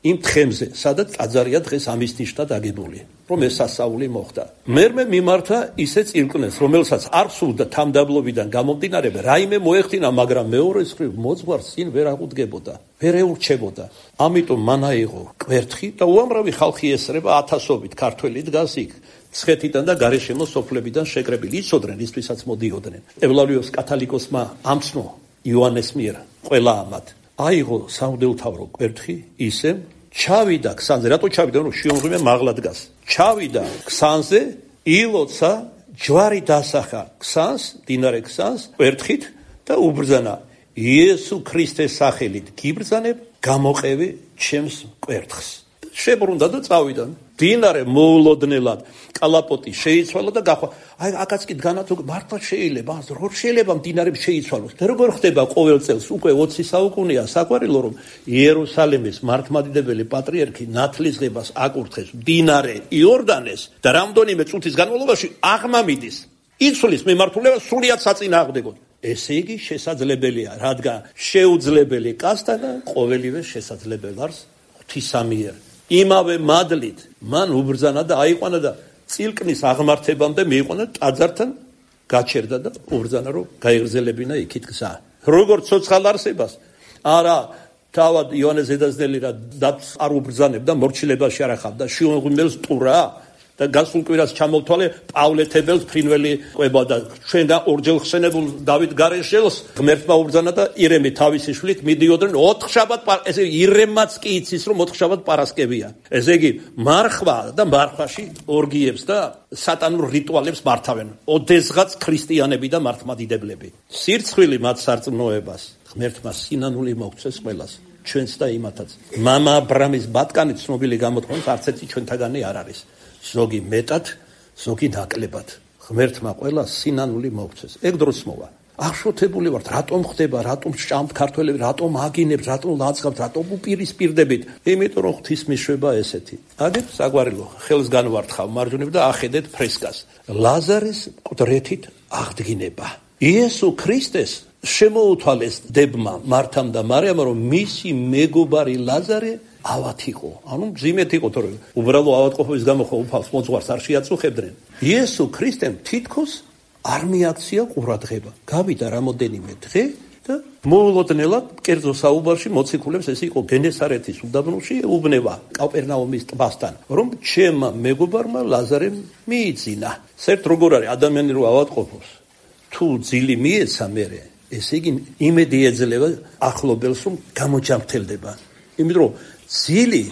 Speaker 1: იმ თხემზე სადაც ტაძარია დღეს ამის ნიშნად აგებული რომ ეს სასწაული მოხდა მერმე მიმართა ისე წილკნეს რომელსაც არ სურდა თამდაბლობიდან გამომდინარე რაიმე მოეხდინა მაგრამ მეორეს მხრივ მოძღვარს წინ ვერ აღუდგებოდა ვერ ეურჩებოდა ამიტომ მან აიღო კვერთხი და უამრავი ხალხი ესრება ათასობით ქართველი დგას იქ ცხეთიდან და გარეშემო სოფლებიდან შეკრებილი იცოდნენ ისთვისაც მოდიოდნენ ევლავიოს კათალიკოსმა ამცნო იოანეს მიერ ყველა ამად აიღო სამღვდელმთავრო კვერთხი ისე ჩავიდა ქსანზე რატო ჩავიდა რომ შიომღვიმე მაღლა დგას ჩავიდა ქსანზე ილოცა ჯვარი დასახა ქსანს დინარე ქსანს კვერთხით და უბრძანა იესო ქრისტეს სახელით გიბრძანებ გამოყევი ჩემს კვერთხს შებრუნდა და წავიდა დინარე მოულოდნელად კალაპოტი შეიცვალა და გახვა აი აკაც კი დგანათ მართლა შეიძლება როგორ შეიძლება მდინარებს შეიცვალოს და როგორ ხდება ყოველ წელს უკვე 20 საუკუნეა საყვარელო რომ იერუსალიმის მართლმადიდებელი პატრიარქი ნათლისღებას აკურთხეს მდინარე იორდანეს და რამდენიმე წუთის განმავლობაში აღმამიდის იცვლის მიმართულება სრულიად საწინააღმდეგოდ ესე იგი შესაძლებელია რადგან შეუძლებელი კაცთა და ყოველივე შესაძლებელი არის ღვთისამიერ იმავე მადლით მან უბრძანა და აიყვანა და წილკნის აღმართებამდე მიიყვანა ტაძართან გაჩერდა და უბრძანა რომ გაიღრძელებინა იქით გზა როგორც ცოცხალ არსებას არა თავად იოანეს ედაზნელი რა არ უბრძანებდა მორჩილებაში არ ახავდა შიომღვიმელს ტურა და გასულ კვირას ჩამოვთვალე პავლეთებელს ფრინველი ყვება და ჩვენგან ორჯერ ხსენებულ დავით გარეშელს ღმერთმა უბრძანა და ირემი თავისი შვილით მიდიოდნენ 4 შაბათ ესე ირემაც კი იცის რომ 4 შაბათ პარასკევია. ესე იგი მარხვა და მარხვაში ორგიებს და სატანურ რიტუალებს მართავენ. ოდესღაც ქრისტიანები და მართლმადიდებლები. სირცხვილი მათ სარწმუნოებას ღმერთმა სინანული მოგცეს ყველას. ჩვენც და იმათაც. მამა აბრამის ბატკანი ცნობილი გამოთქვამს არც ერთი ჩვენთაგანი არ არის. ზოგი მეტად, ზოგი ნაკლებად. ღმერთმა ყველა სინანული მოგცეს. ეგ დროს მოვა. აღშოთებული ვართ, რატომ ხდება, რატომ სჭამთ ქართველები, რატომ აგინებთ, რატომ ლაძღავთ, რატომ უპირისპირდებით? იმიტომ რომ ღვთის მიშვება ესეთი. აგეთ საგვარელო, ხელს განვართხავ მარჯვნივ და ახედეთ ფრესკას. ლაზარის მკვდრეთით აღდგინება. იესო ქრისტეს შემოუთვალეს დებმა მართამ და მარიამმა რომ მისი მეგობარი ლაზარე ავად იყო. ანუ მძიმედ იყო, თორე უბრალო ავადყოფობის გამო ხო უფალს მოძღვარს არ შეაწუხებდნენ. იესო ქრისტემ თითქოს არ მიაქცია ყურადღება. გავიდა რამოდენიმე დღე და მოულოდნელად კერძო საუბარში მოციქულებს ეს იყო გენესარეთის უდაბნოში უბნება კაპერნაუმის ტბასთან, რომ ჩემმა მეგობარმა ლაზარემ მიიძინა. საერთოდ როგორ არის ადამიანი რო ავადყოფობს, თუ ძილი მიეცა მერე, ესე იგი იმედი ეძლევა ახლობელს რომ გამოჯამრთელდება. იმიტომ რომ ძილი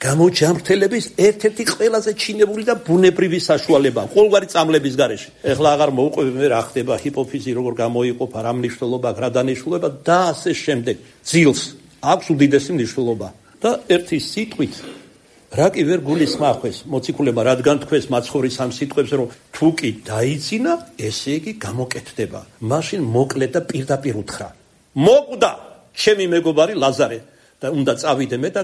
Speaker 1: გამოჯამრთელების ერთ-ერთი ყველაზე ჩინებული და ბუნებრივი საშუალებაა ყოველგვარი წამლების გარეშე. ეხლა აღარ მოუყვები მე რა ხდება ჰიპოფიზი როგორ გამოიყოფა, რა მნიშვნელობა, რა დანიშნულება და ასე შემდეგ. ძილს აქვს უდიდესი მნიშვნელობა და ერთი სიტყვით რა კი ვერ გულისხმახეს მოციქულებმა, რადგან თქვეს მაცხოვრის ამ სიტყვებს რომ თუ კი დაიძინა, ესე იგი გამოკეთდება. მაშინ მოკლე და პირდაპირ უთხრა. მოკვდა ჩემი მეგობარი ლაზარე და უნდა წავიდე მე და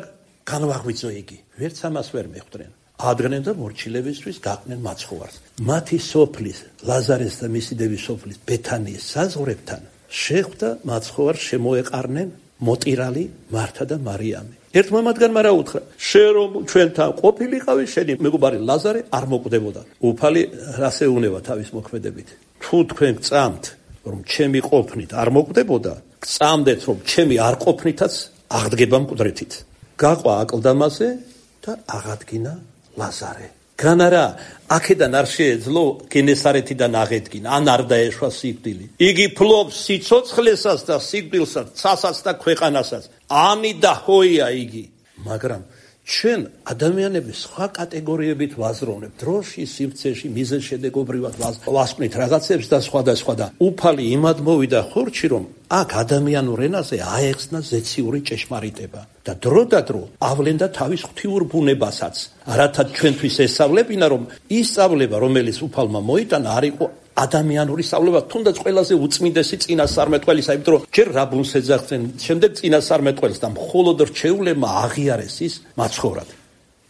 Speaker 1: განვაღვიძო იგი. ვერც ამას ვერ მეხვდნენ. ადგნენ და მორჩილებისთვის გაყნენ მაცხოვარს. მათი სოფლის, ლაზარეს და მისი დევის სოფლის ბეთანიის საზღვრებთან შეხვდა მაცხოვარს შემოეყარნენ მოტირალი მართა და მარიამი. ერთმა მათგანმა რა უთხრა? შენ რომ ჩვენთან ყოფილიყავი, შენი მეგობარი ლაზარე არ მოკვდებოდა. უფალი რას ეუნება თავის მოქმედებით? თუ თქვენ გწამთ, რომ ჩემი ყოფნით არ მოკვდებოდა, გწამდეთ, რომ ჩემი არ ყოფნითაც აღდგება მკვდრეთით. გაყვა აკლდამაზე და აღადგინა ლაზარე. განარა აქედან არ შეეძლო გენესარეთიდან აღედგინა, ან არ დაეშვა სიკვდილი. იგი ფლობს სიცოცხლესაც და სიკვდილსაც, ცასაც და ქვეყანასაც. ამი და ჰოია იგი. მაგრამ ჩვენ ადამიანები სხვა კატეგორიებით ვაზროვნებთ. დროში, სივრცეში, მიზეზშედეგობრივად ვასკვნით რაღაცებს და სხვა და სხვა და უფალი იმად მოვიდა ხორჩი, რომ აქ ადამიანურ ენაზე აეხსნა ზეციური ჭეშმარიტება და დრო და დრო ავლენდა თავის ღვთიურ ბუნებასაც. რათა ჩვენთვის ესწავლებინა, რომ ის სწავლება, რომელიც უფალმა მოიტანა, არ იყო ადამიანური სწავლება, თუნდაც ყველაზე უწმინდესი წინასწარმეტყველისა, იმიტომ რომ ჯერ რაბუნს ეძახდნენ, შემდეგ წინასწარმეტყველს და მხოლოდ რჩეულებმა აღიარეს ის მაცხოვრად.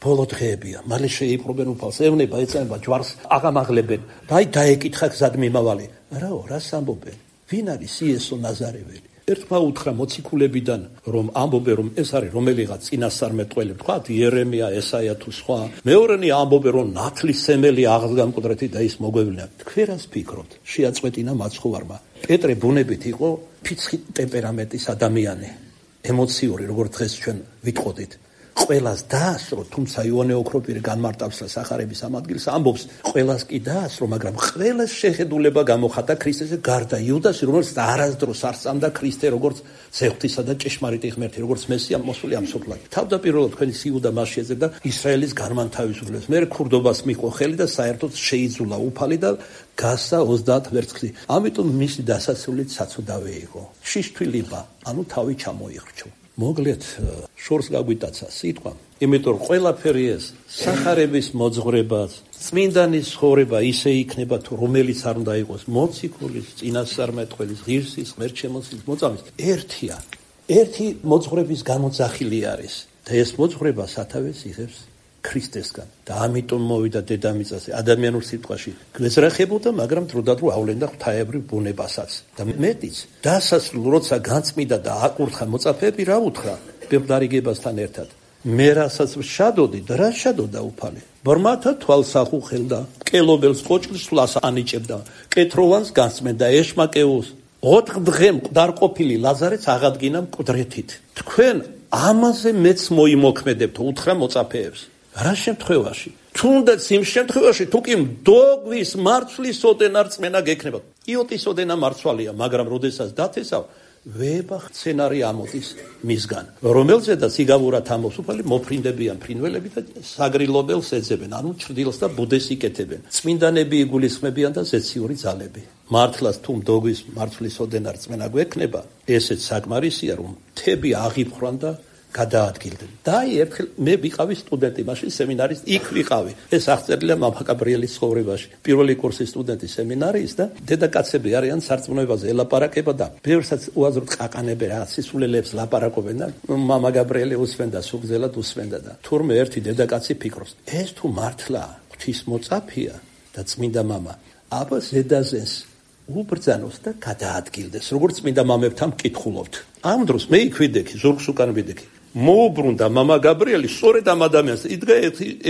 Speaker 1: ბოლო დღეებია, მალე შეიპყრობენ უფალს, ევნება, ეწამება ჯვარს, აღამაღლებენ და აი დაეკითხა გზად მიმავალი. რაო, რას ამბობენ? ვინ არის იესო ნაზარეველი? ერთმა უთხრა მოციქულებიდან, რომ ამბობენ, რომ ეს არის რომელიღაც წინასწარმეტყველი, თქვათ იერემია, ესაია თუ სხვა. მეორენი ამბობენ, რომ ნათლისმცემელი აღდგა მკვდრეთით და ის მოგვევლინა. თქვენ რას ფიქრობთ? შეაწყვეტინა მაცხოვარმა. პეტრე ბუნებით იყო ფიცხი ტემპერამენტის ადამიანი, ემოციური, როგორც დღეს ჩვენ ვიტყოდით. ყველას დაასრო, თუმცა იოანე ოქროპირი განმარტავს და სახარების ამ ადგილს ამბობს, ყველას კი დაასრო, მაგრამ ყველას შეხედულება გამოხატა ქრისტეზე გარდა იუდასი, რომელიც არასდროს არ სწამდა ქრისტე როგორც ზეღვთისა და ჭეშმარიტი ღმერთი, როგორც მესია მოსული ამ სოფლად. თავდაპირველად თქვენი იუდა მას შეეძებდა ისრაელის განმანთავისუფლებას. მე ქურდობას მიჰყო ხელი და საერთოდ შეიძულა უფალი და გასა 30 ვერცხლი. ამიტომ მისი დასასრულით საცუდავე იყო. შიშთვილება, ანუ თავი ჩამოიხრჩო. მოგლეთ შორს გაგვიტაცა სიტყვა, იმიტომ რომ ყველაფერი ეს სახარების მოძღვრებას, წმინდანის ცხოვრება ისე იქნება თუ რომელიც არ უნდა იყოს მოციქულის, წინასწარმეტყველის, ღირსის, ღმერთშემოსილის, მოწამის, ერთია. ერთი მოძღვრების გამოძახილი არის და ეს მოძღვრება სათავეს იღებს ქრისტესგან და ამიტომ მოვიდა დედამიწაზე ადამიანურ სიტყვაში გვეძრახებოდა, მაგრამ დროდადრო ავლენდა ღვთაებრივ ბუნებასაც და მეტიც დასასრულ როცა განწმიდა და აკურთხა მოწაფეები რა უთხრა პირდარიგებასთან ერთად მე რასაც შადოდი და რა შადოდა უფალი ბრმათა თვალს ახუხელდა კელობელს კოჭკს სვლას ანიჭებდა კეთროვანს განწმენდა ეშმაკეუს 4 დღე მკვდარყოფილი ლაზარეც აღადგინა მკვდრეთით თქვენ ამაზე მეც მოიმოქმედებთ უთხრა მოწაფეებს რა შემთხვევაში თუნდაც იმ შემთხვევაში თუ კი მდოგვის მარცვლის ოდენა რწმენა გექნება. იოტის ოდენა მარცვალია, მაგრამ როდესაც დათესავ ვება სცენარი ამოდის მისგან, რომელზედაც იგავურად ამოსუფალი მოფრინდებიან ფრინველები და საგრილობელს ეძებენ, ანუ ჩრდილს და ბუდეს იკეთებენ. წმინდანები იგულისხმებიან და ზეციური ძალები. მართლაც თუ მდოგვის მარცვლის ოდენა რწმენა გვექნება, ესეც საკმარისია, რომ მთები აღიფხრან და გადაადგილდნენ. და ერთხელ მე ვიყავი სტუდენტი, მაშინ სემინარის იქ ვიყავი. ეს აღწერილია მამა გაბრიელის ცხოვრებაში. პირველი კურსის სტუდენტი სემინარიის და დედაკაცები არიან სარწმუნოებაზე ელაპარაკება და ბევრსაც უაზროდ ყაყანებენ, რა სისულელებს ლაპარაკობენ და მამა გაბრიელი უსმენდა, სუგზელად უსმენდა და თურმე ერთი დედაკაცი ფიქრობს, ეს თუ მართლა ღვთისმოწაფეა და წმინდა მამა, აბა ზედაზენს უბრძანოს და გადაადგილდეს, როგორც წმინდა მამებთან მკითხულობთ. ამ დროს მე იქ ვიდექი, ზურგს უკან ვიდექი. მოუბრუნდა მამა გაბრიელი სწორედ ამ ადამიანს, იდგა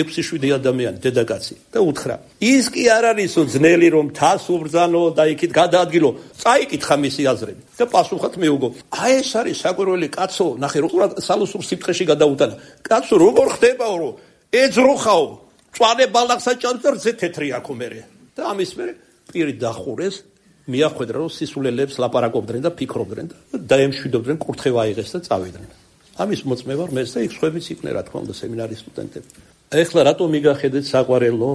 Speaker 1: 6-7 ადამიანი დედაკაცი და უთხრა, ის კი არ არისო ძნელი რომ თას უბრძანო და იქით გადაადგილო, წაიკითხა მისი აზრები და პასუხად მეუგო, აი ეს არის საკვირველი კაცო, ნახე როგორ სალუსურ სიფრთხეში გადაუტანა, კაცო როგორ ხდებაო რომ ეძროხაო, წვანე ბალახს აჭამს და რძე თეთრი აქო მერე და ამის მერე პირი დახურეს, მიახვედრა რომ სისულელებს ლაპარაკობდნენ და ფიქრობდნენ და დაემშვიდობდნენ, კურთხევა აიღეს და წავიდნენ. ამის მოწმე ვარ მეც და იქ სხვებიც იყვნენ, რა თქმა უნდა, სემინარის სტუდენტები. ეხლა რატომ მიგახედეთ საყვარელო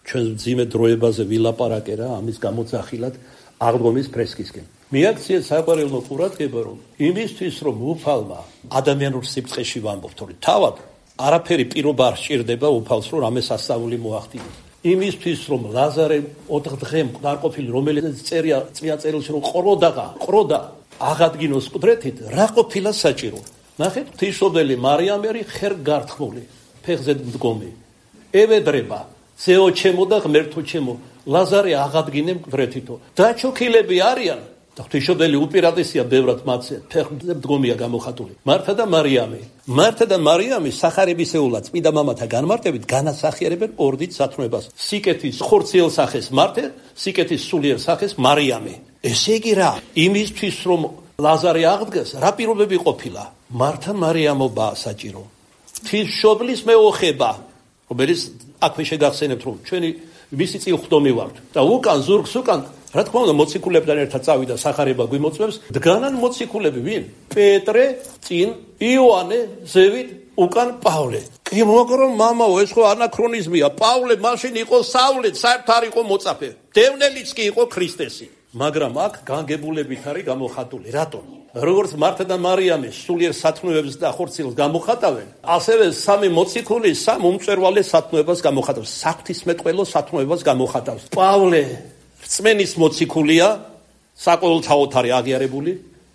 Speaker 1: ჩვენ ძიმე დროებაზე ვილაპარაკე რა, ამის გამოძახილად აღდგომის ფრესკისკენ. მიაქციეთ საყვარელო ყურადღება, რომ იმისთვის რომ უფალმა ადამიანურ სიფრთხეში ვამბობთ, რომ თავად არაფერი პირობა არ სჭირდება უფალს, რომ ამას ასწავლი მოახდინოს. იმისთვის რომ ლაზარე 4 დღე მყარყოფილი, რომელიც წერია წვია წერილში რომ ყროდა აღადგინოს ყდრეთით, რა ყოფილა საჭირო. ნახეთ, ღვთისმშობელი მარიამერი ხერ გართმული, ფეხზე მდგომი. ევედრება, ზეო ჩემო და ღმერთო ჩემო, ლაზარე აღადგინე მყდრეთითო. დაჩოქილები არიან და ღვთისმშობელი უპირატესია ბევრად მათზე, ფეხზე მდგომია გამოხატული. მართა და მარიამი სახარებისეულად წმინდა მამათა განმარტებით განასახიერებენ ორდით სათნოებას. სიკეთის ხორციელ სახეს მართე, სიკეთის სულიერ სახეს მარიამი. ესე იგი რა, იმისთვის რომ ლაზარე აღდგეს, რა პირობები ყოფილა? მართა მარიამობაა საჭირო. ღვთისმშობლის მეოხება, რომელიც აქვე შეგახსენებთ, რომ ჩვენი მისი წილხდომი ვართ და უკან ზურგს უკან რა თქმა უნდა მოციქულებთან ერთად წავიდა სახარება გვიმოწმებს, დგანან მოციქულები ვინ? პეტრე, წინ იოანე, ზევით უკან პავლე. კი მოგრო მამაო, ეს ხო ანაქრონიზმია. პავლე მაშინ იყო საულეთ, საერთოდ არ იყო მოწაფე. დევნელიც კი იყო ქრისტესი. მაგრამ აქ განგებულებით არის გამოხატული. რატომ? როგორც მართა და მარიამი სულიერ სათნოებს და ხორციელს გამოხატავენ, ასევე სამი მოციქული სამ უმწვერვალეს სათნოებას გამოხატავს, საღვთისმეტყველო სათნოებას გამოხატავს. პავლე რწმენის მოციქულია, საყოველთაოდ არის აღიარებული.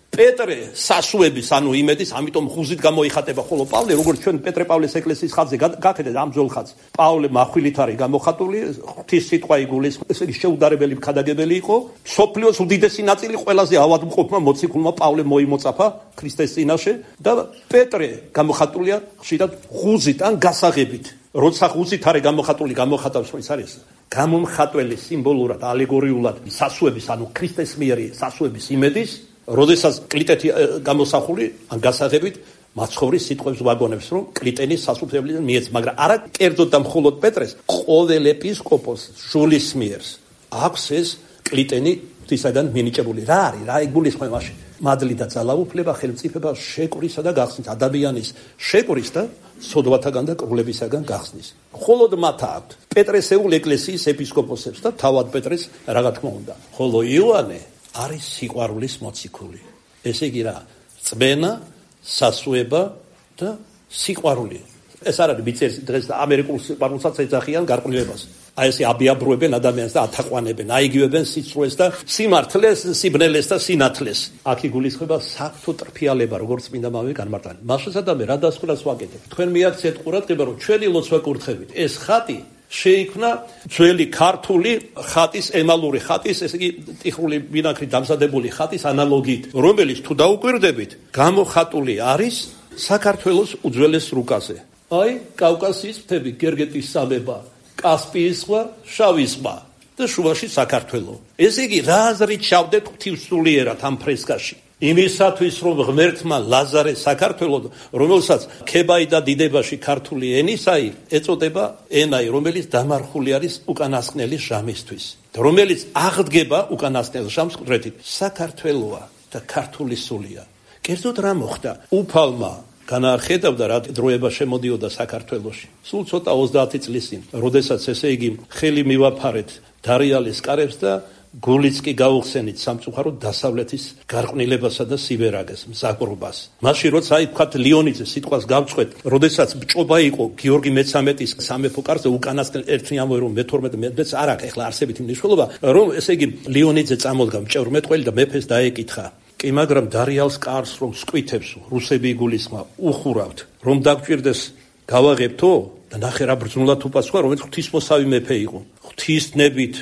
Speaker 1: პეტრე სასუების, ანუ იმედის, ამიტომ ხუზით გამოიხატება, ხოლო პავლე, როგორც ჩვენ პეტრე პავლეს ეკლესიის ხაზზე გაკეთეთ ამ ძველ ხაზს, პავლე מחვილით არის გამოხატული, ღვთის სიტყვა იგულისხმება, ესე იგი შეუდარებელი ქადაგებელი იყო. სოფლიოს უდიდესი ნაწილი ყველაზე ავადმყოფმა მოციქულმა პავლე მოიმოწაფა ქრისტეს წინაშე და პეტრე გამოხატულია ხშირად ხუზით ან გასაღებით. როცა ხუზით არის გამოხატული, გამოხატავს ის არის გამომხატველი სიმბოლურად, ალეგორიულად სასუების, ანუ ქრისტეს მიერი სასუების იმედის. როდესაც კლიტეთი გამოსახული ან გასაღებით მაცხოვრის სიტყვებს ვაგონებს, რომ კლიტენის სასუფევლიდან მიეც, მაგრამ არა კერძოდ და მხოლოდ პეტრეს, ყოველ ეპისკოპოს შულის მიერს აქვს ეს კლიტენი ღვთისაგან მინიჭებული. რა არის? რა იგულისხმება მაშინ? მადლი და ძალაუფლება, ხელმწიფება, შეკვრისა და გახსნის, ადამიანის შეკვრის და სოდვათაგან და კრულებისაგან გახსნის. მხოლოდ მათ აქვთ პეტრესეულ ეკლესიის ეპისკოპოსებს და თავად პეტრეს რა თქმა უნდა. ხოლო იოანე არის სიყვარულის მოციქული. ესე იგი რა, წმენა, სასუება და სიყვარული. ეს არ არის მიწერის დღეს და ამერიკულ სიყვარულსაც ეძახიან გარყვნილებას. აი ესე აბიაბრუებენ ადამიანს და ათაყვანებენ, აიგივებენ სიცრუეს და სიმართლეს, სიბნელეს და სინათლეს. აქ იგულისხმება საღვთო ტრფიალება, როგორც წმინდა მამები განმარტავენ. მასშტაბად რა დასკვნას ვაკეთებ? თქვენ მიაქციეთ ყურადღება, რომ ჩვენი ლოცვა კურთხევით ეს ხატი შეიქმნა ძველი ქართული ხატის, ემალური ხატის, ესე იგი ტიხრული ვინახრით დამზადებული ხატის ანალოგიით, რომელიც თუ დაუკვირდებით, გამოხატული არის საქართველოს უძველეს რუკაზე. აი, კავკასიის მთები, გერგეტის სამება, კასპიის ზღვა, შავი ზღვა და შუაში საქართველო. ესე იგი, რა აზრით ჩავდეთ ღვთისმსულიერად ამ ფრესკაში? იმისათვის რომ ღმერთმა ლაზარე საქართველოს, რომელსაც ქებაი და დიდებაში ქართული ენისაი ეწოდება ენაი, რომელიც დამარხული არის უკანასკნელი ჟამისთვის, რომელიც აღდგება უკანასკნელ ჟამს ყდრეთით. საქართველოა და ქართული სულია. კერძოდ რა მოხდა? უფალმა განახედავდა რა დროება შემოდიოდა საქართველოში. სულ ცოტა 30 წლის წინ, როდესაც ესე იგი ხელი მივაფარეთ დარიალის კარებს და გულიც კი გაუხსენით სამწუხაროდ დასავლეთის გარყვნილებასა და სიბერაგეს, მზაკრობას. მაშინ როცა აი თქვათ ლეონიძე სიტყვას გავწყვეთ, როდესაც ბჭობა იყო გიორგი მე-13-ის სამეფო კარზე უკანასკნელ ერთი ამბავი რომ მე-12 არ აქვს ეხლა არსებით მნიშვნელობა, რომ ესე იგი ლეონიძე წამოდგა მჭევრმეტყველი და მეფეს დაეკითხა. კი, მაგრამ დარიალს კარს რომ სკვითებს რუსები იგულისხმა უხურავთ, რომ დაგჭირდეს გავაღებთო და ნახე რა ბრძნულად უპასუხა, რომელიც ღვთისმოსავი მეფე იყო. ღვთისნებით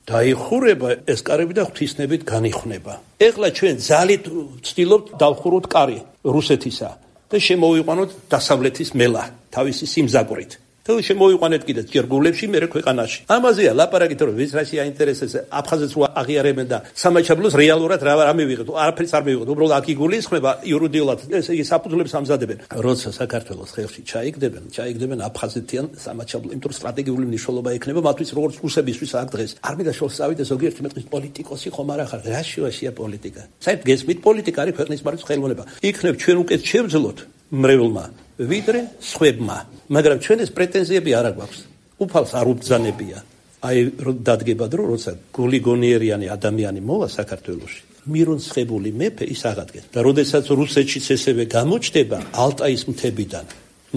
Speaker 1: დაიხურება ეს კარები და ღვთისნებით განიხნება. ეხლა ჩვენ ძალით ვცდილობთ დავხუროთ კარი რუსეთისა და შემოვიყვანოთ დასავლეთის მელა თავისი სიმზაკვრით. და შემოვიყვანეთ კიდე ჯერგულებში, მერე ქვეყანაში. ამაზეა ლაპარაკით, რომ ვის რაში აინტერესებს აფხაზეთს რო აღიარებენ და სამაჩაბლოს რეალურად რა მივიღეთ, არაფერს არ მივიღეთ. უბრალოდ აქ იგულისხმება იურიდიულად, ესე იგი საფუძვლებს ამზადებენ. როცა საქართველოს ხელში ჩაიგდებენ აფხაზეთიან სამაჩაბლო, იმიტომ რომ სტრატეგიული მნიშვნელობა ექნება მათთვის, როგორც რუსებისთვის აქ დღეს. არ მინდა შევსწავლით ეს ზოგიერთი მეტყვის პოლიტიკოსი ხომ არ ახარ, რა შუაშია პოლიტიკა. საერთოდ გესმით, პოლიტიკა არის ქვეყნის მართვის ხელოვნება. იქნებ ჩვენ უკეთ შევძლოთ მრევლმა ვიდრე სხვებმა, მაგრამ ჩვენ ეს პრეტენზიები არ აქვს. უფალს არ უბრძანებია. აი დადგება დრო, როცა გულიგონიერიანი ადამიანი მოვა საქართველოში, მირონცხებული მეფე ის აღადგეს. და როდესაც რუსეთშიც ესევე გამოჩნდება ალტაის მთებიდან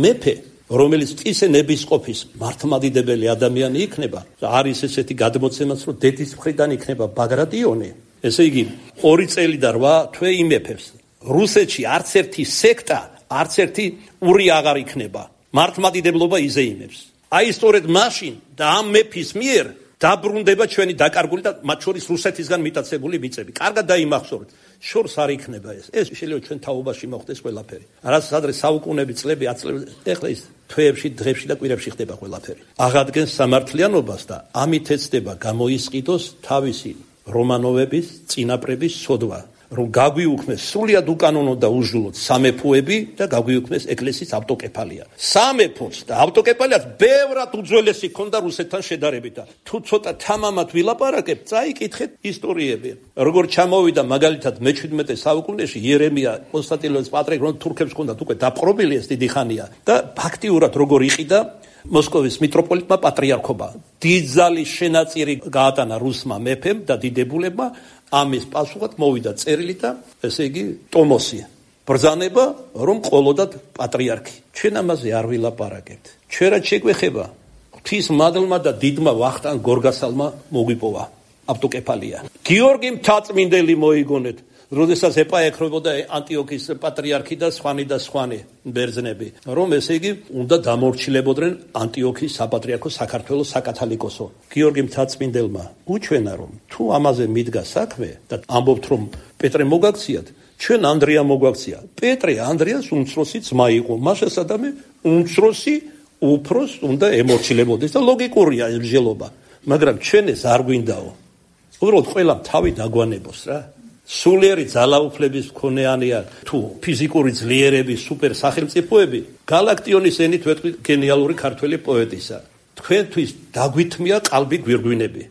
Speaker 1: მეფე, რომელიც ისე ნებისყოფის მართლმადიდებელი ადამიანი იქნება, არის ესეთი გადმოცემაც, რომ დედის მხრიდან იქნება ბაგრატიონი, ესე იგი 2 წელი და 8 თვე იმეფებს. რუსეთში არც ერთი სექტა, არც ერთი ური აღარ იქნება. მართლმადიდებლობა იზეიმებს. აი სწორედ მაშინ და ამ მეფის მიერ დაბრუნდება ჩვენი დაკარგული და მათ შორის რუსეთისგან მიტაცებული მიწები. კარგად დაიმახსოვრეთ. შორს არ იქნება ეს. ეს შეიძლება ჩვენ თაობაში მოხდეს ყველაფერი. რასაც ადრე საუკუნეები, წლები, ათწლები, ეხლა ის თვეებში, დღეებში და კვირებში ხდება ყველაფერი. აღადგენს სამართლიანობას და ამით ეცდება გამოისყიდოს თავისი რომანოვების, წინაპრების სოდვა. რომ გაგვიუქმეს სრულიად უკანონო და უჟლოდ სამეფოები და გაგვიუქმეს ეკლესიის ავტოკეფალია. სამეფოც და ავტოკეფალიაც ბევრად უძველესი ქონდა რუსეთთან შედარებით. თუ ცოტა თამამად ვილაპარაკებთ, წაიკითხეთ ისტორიები. როგორ ჩამოვიდა მაგალითად მე-17 საუკუნეში იერემია კონსტანტინოპოლის პატრიარქი, რომ თურქებს ჰქონდათ უკვე დაპყრობილი ეს დიდი ხანია და ფაქტიურად როგორ იყიდა მოსკოვის მიტროპოლიტმა პატრიარქობა. დიდძალი შენაწირი გაატანა რუსმა მეფემ და დიდებულებმა. ამის პასუხად მოვიდა წერილი და ესე იგი ტომოსი ბრძანება რომ ყოლოდათ პატრიარქი. ჩვენ ამაზე არ ვილაპარაკებთ. ჩვენ რაც შეგვეხება ღვთის მადლმა და დიდმა ვახტანგ გორგასალმა მოგვიპოვა ავტოკეფალია. გიორგი მთაწმინდელი მოიგონეთ, როდესაც ეპაექრებოდა ანტიოქის პატრიარქი და სხვანი ბერძნები, რომ ესე იგი უნდა დამორჩილებოდნენ ანტიოქის საპატრიარქო საქართველოს საკათალიკოსო. გიორგი მთაწმინდელმა უჩვენა, რომ თუ ამაზე მიდგა საქმე და ამბობთ, რომ პეტრე მოგაქციათ, ჩვენ ანდრია მოგვაქცია. პეტრე ანდრიას უმცროსი ძმა იყო, მასასადამე უმცროსი უფროს უნდა ემორჩილებოდეს და ლოგიკურია ეს მსჯელობა. მაგრამ ჩვენ ეს არ გვინდაო. უბრალოდ ყველა თავი დაგვანებოს რა. სულიერი ძალაუფლების მქონეანია თუ ფიზიკური ძლიერების სუპერ სახელმწიფოები, გალაქტიონის ენით ვეთქვი გენიალური ქართველი პოეტისა. თქვენთვის დაგვითმია ყალბი გვირგვინები.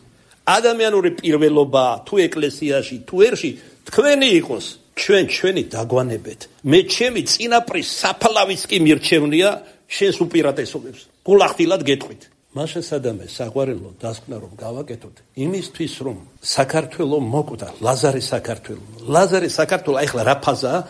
Speaker 1: ადამიანური პირველობა თუ ეკლესიაში თუ ერში თქვენი იყოს, ჩვენი დაგვანებეთ. მე ჩემი წინაპრის საფლავის კი მირჩევნია შენს უპირატესობებს. გულახდილად გეტყვით. მასასადამე საყვარელო დასკვნა რომ გავაკეთოთ იმისთვის რომ საქართველო მოკვდა ლაზარე საქართველო ახლა რა ფაზაა?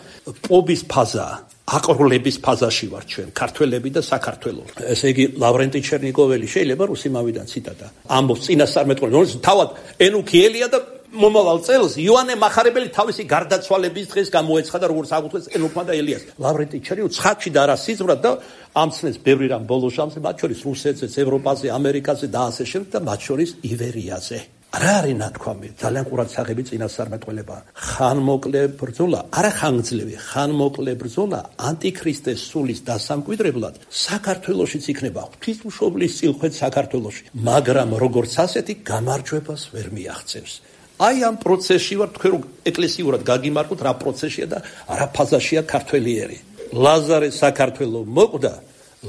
Speaker 1: პობის ფაზაა, აყროლების ფაზაში ვარ ჩვენ ქართველები და საქართველო. ესე იგი ლავრენტი ჩერნიკოველი შეიძლება რუსიმავიდან ციტატა ამბობს წინასწარმეტყველი, რომელიც თავად ენუქიელია და მომავალ წელს იოანე მახარებელი თავისი გარდაცვალების დღეს გამოეცხადა როგორც აღუთქვეს ენუქმა და ელიას. ლავრენტი ჩერნიკოვი ცხადში და არა სიზმრად და ამცნეს ბევრი რამ ბოლოს ამცნეს, მათ შორის რუსეთზე, ევროპაზე, ამერიკაზე და ასე შემდეგ და მათ შორის ივერიაზე. რა არის ნათქვამი? ძალიან ყურადსაღები წინასწარმეტყველება. ხანმოკლე ბრძოლა, არა ხანგრძლივი, ხანმოკლე ბრძოლა ანტიქრისტეს სულის დასამკვიდრებლად საქართველოშიც იქნება ღვთისმშობლის წილხვეც საქართველოში, მაგრამ როგორც ასეთი გამარჯვებას ვერ მიაღწევს. აი ამ პროცესში ვარ, თქვენ რომ ეკლესიურად გაგიმარკოთ რა პროცესია და რა ფაზაშია ქართველიერი. ლაზარე საქართველო მოკვდა,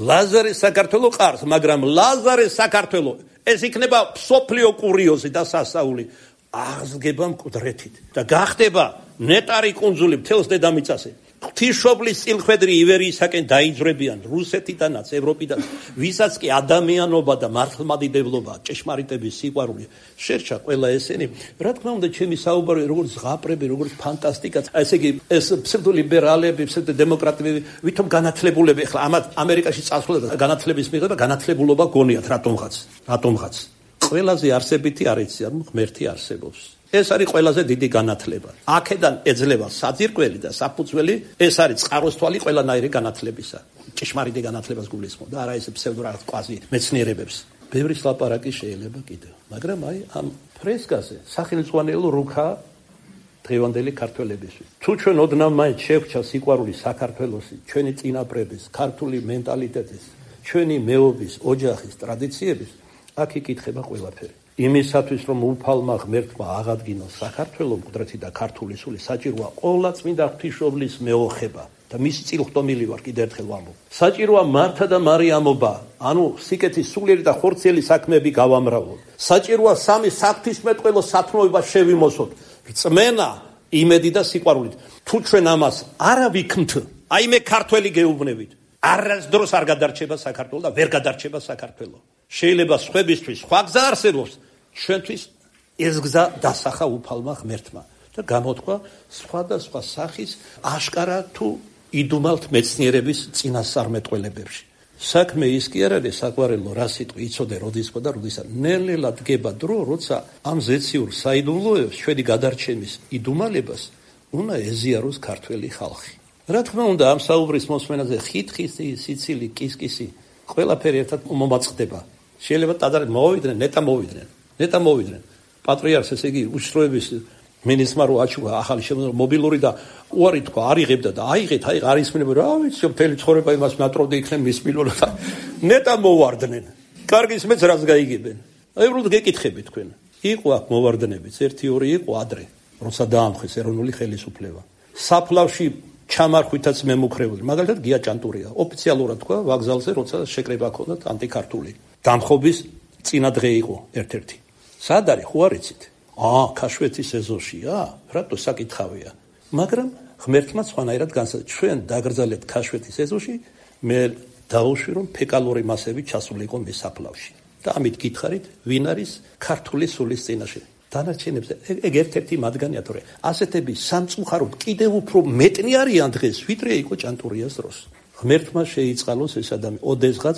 Speaker 1: ლაზარე საქართველო ყარს, მაგრამ ლაზარე საქართველო ეს იქნება სოფლიო კურიოზი და სასაული. აღზრდება მკვდრეთით და გახდება ნეტარი კუნძული მთელს დედამიწაზე. ღვთისმშობლის წილხვედრი ივერიისაკენ დაიძრებიან რუსეთიდანაც, ევროპიდან, ვისაც კი ადამიანობა და მართლმადიდებლობა, ჭეშმარიტების სიყვარული შერჩა ყველა ესენი. რა თქმა უნდა, ჩემი საუბარი როგორც ზღაპრები, როგორც ფანტასტიკა, ესე იგი ეს ფსევდოლიბერალები, ფსევდოდემოკრატები, ვითომ განათლებულები, ახლა ამათ ამერიკაში წასვლა და განათლების მიღება, განათლებულობა გონიათ რატომღაც. ყველაზე არსებითი არ იცი, ანუ ღმერთი არსებობს. ეს არის ყველაზე დიდი განათლება. აქედან ეძლევა საძირკველი და საფუძველი, ეს არის წყაროსთვალი ყველანაირი განათლებისა. ჭეშმარიტი განათლებას გულისხმობ და არა ეს ფსევდორად კვაზი მეცნიერებებს. ბევრი ლაპარაკი შეიძლება კიდევ, მაგრამ აი ამ ფრესკაზე სახელმძღვანელო რუქა დღევანდელი ქართველებისთვის. თუ ჩვენ ოდნავ მაინც შევქჩა სიყვარული საქართველოსი, ჩვენი წინაპრების, ქართული მენტალიტეტის, ჩვენი მეობის, ოჯახის, ტრადიციების, აქ იკითხება ყველაფერი. იმისათვის რომ უფალმა ღმერთმა აღადგინოს საქართველო მკვდრეთი და ქართული სული საჭიროა ყოვლა წმინდა ღვთისმშობლის მეოხება და მისი წილხდომილი ვარ კიდევ ერთხელ ვამბობ. საჭიროა მართა და მარიამობა, ანუ სიკეთის სულიერი და ხორციელი საქმეები გავამრავლოთ. საჭიროა სამი საღვთისმეტყველო სათნოება შევიმოსოთ. რწმენა, იმედი და სიყვარულით. თუ ჩვენ ამას არა ვიქმთ, აი მე ქართველი გეუბნებით, არასდროს არ გადარჩება საქართველო და ვერ გადარჩება საქართველო. შეიძლება სხვებისთვის სხვა გზა არსებობს, ჩვენთვის ეს გზა დასახა უფალმა ღმერთმა და გამოთქვა სხვადასხვა სახის აშკარა თუ იდუმალთ მეცნიერების წინასწარმეტყველებებში. საქმე ის კი არ არის საყვარელო რა სიტყვი იცოდე როდისკო და როდისა. ნელ-ნელა დგება დრო, როცა ამ ზეციურ საიდუმლოებს ჩვენი გადარჩენის იდუმალებას უნდა ეზიაროს ქართველი ხალხი. რა თქმა უნდა, ამ საუბრის მოსმენაზე ხითხისი, სიცილი, კისკისი ყველაფერი ერთად მომაწყდება. შეიძლება ტაძარი მოვიდნენ, ნეტა მოვიდნენ. პატრიარქს ესე იგი უშროების მინისმა რო აჩუქა ახალი შემოქმედება მობილური და უარი თქვა, არიღებდა და აიღეთ, აი არ ისმინებოდა, რა ვიცი, მთელი ცხოვრება იმას ნატროვდი იქნებ მის მილონა და ნეტა მოვარდნენ. კარგი ისმეც რას გაიგებენ. აი უბრალოდ გეკითხებით თქვენ. იყო აქ მოვარდნებიც, 1-2 იყო ადრე, როცა დაამხეს ეროვნული ხელისუფლება. საფლავში ჩამარხვითაც მემუქრებული. მაგალითად გია ჭანტურია, ოფიციალურად თქვა ვაგზალზე, როცა შეკრება ჰქონდათ ანტიქართული. დამხობის წინა დღე იყო ერთ-ერთი. სად არის, ხო არ იცით? ქაშვეთის ეზოშია? რატო საკითხავია? მაგრამ ღმერთმა სხვანაირად განსაზღვრა, ჩვენ დაგრძალებთ ქაშვეთის ეზოში, მე დავუშვი რომ ფეკალური მასები ჩასულიყო მის საფლავში. და ამით გითხარით, ვინ არის ქართული სულის წინაშე? დანარჩენებზე ეგ ერთ-ერთი მათგანია, თორე ასეთები სამწუხაროდ კიდევ უფრო მეტნი არიან დღეს, ვიდრე იყო ჭანტურიას დროს. ღმერთმა შეიწყალოს ეს ადამიანი, ოდესღაც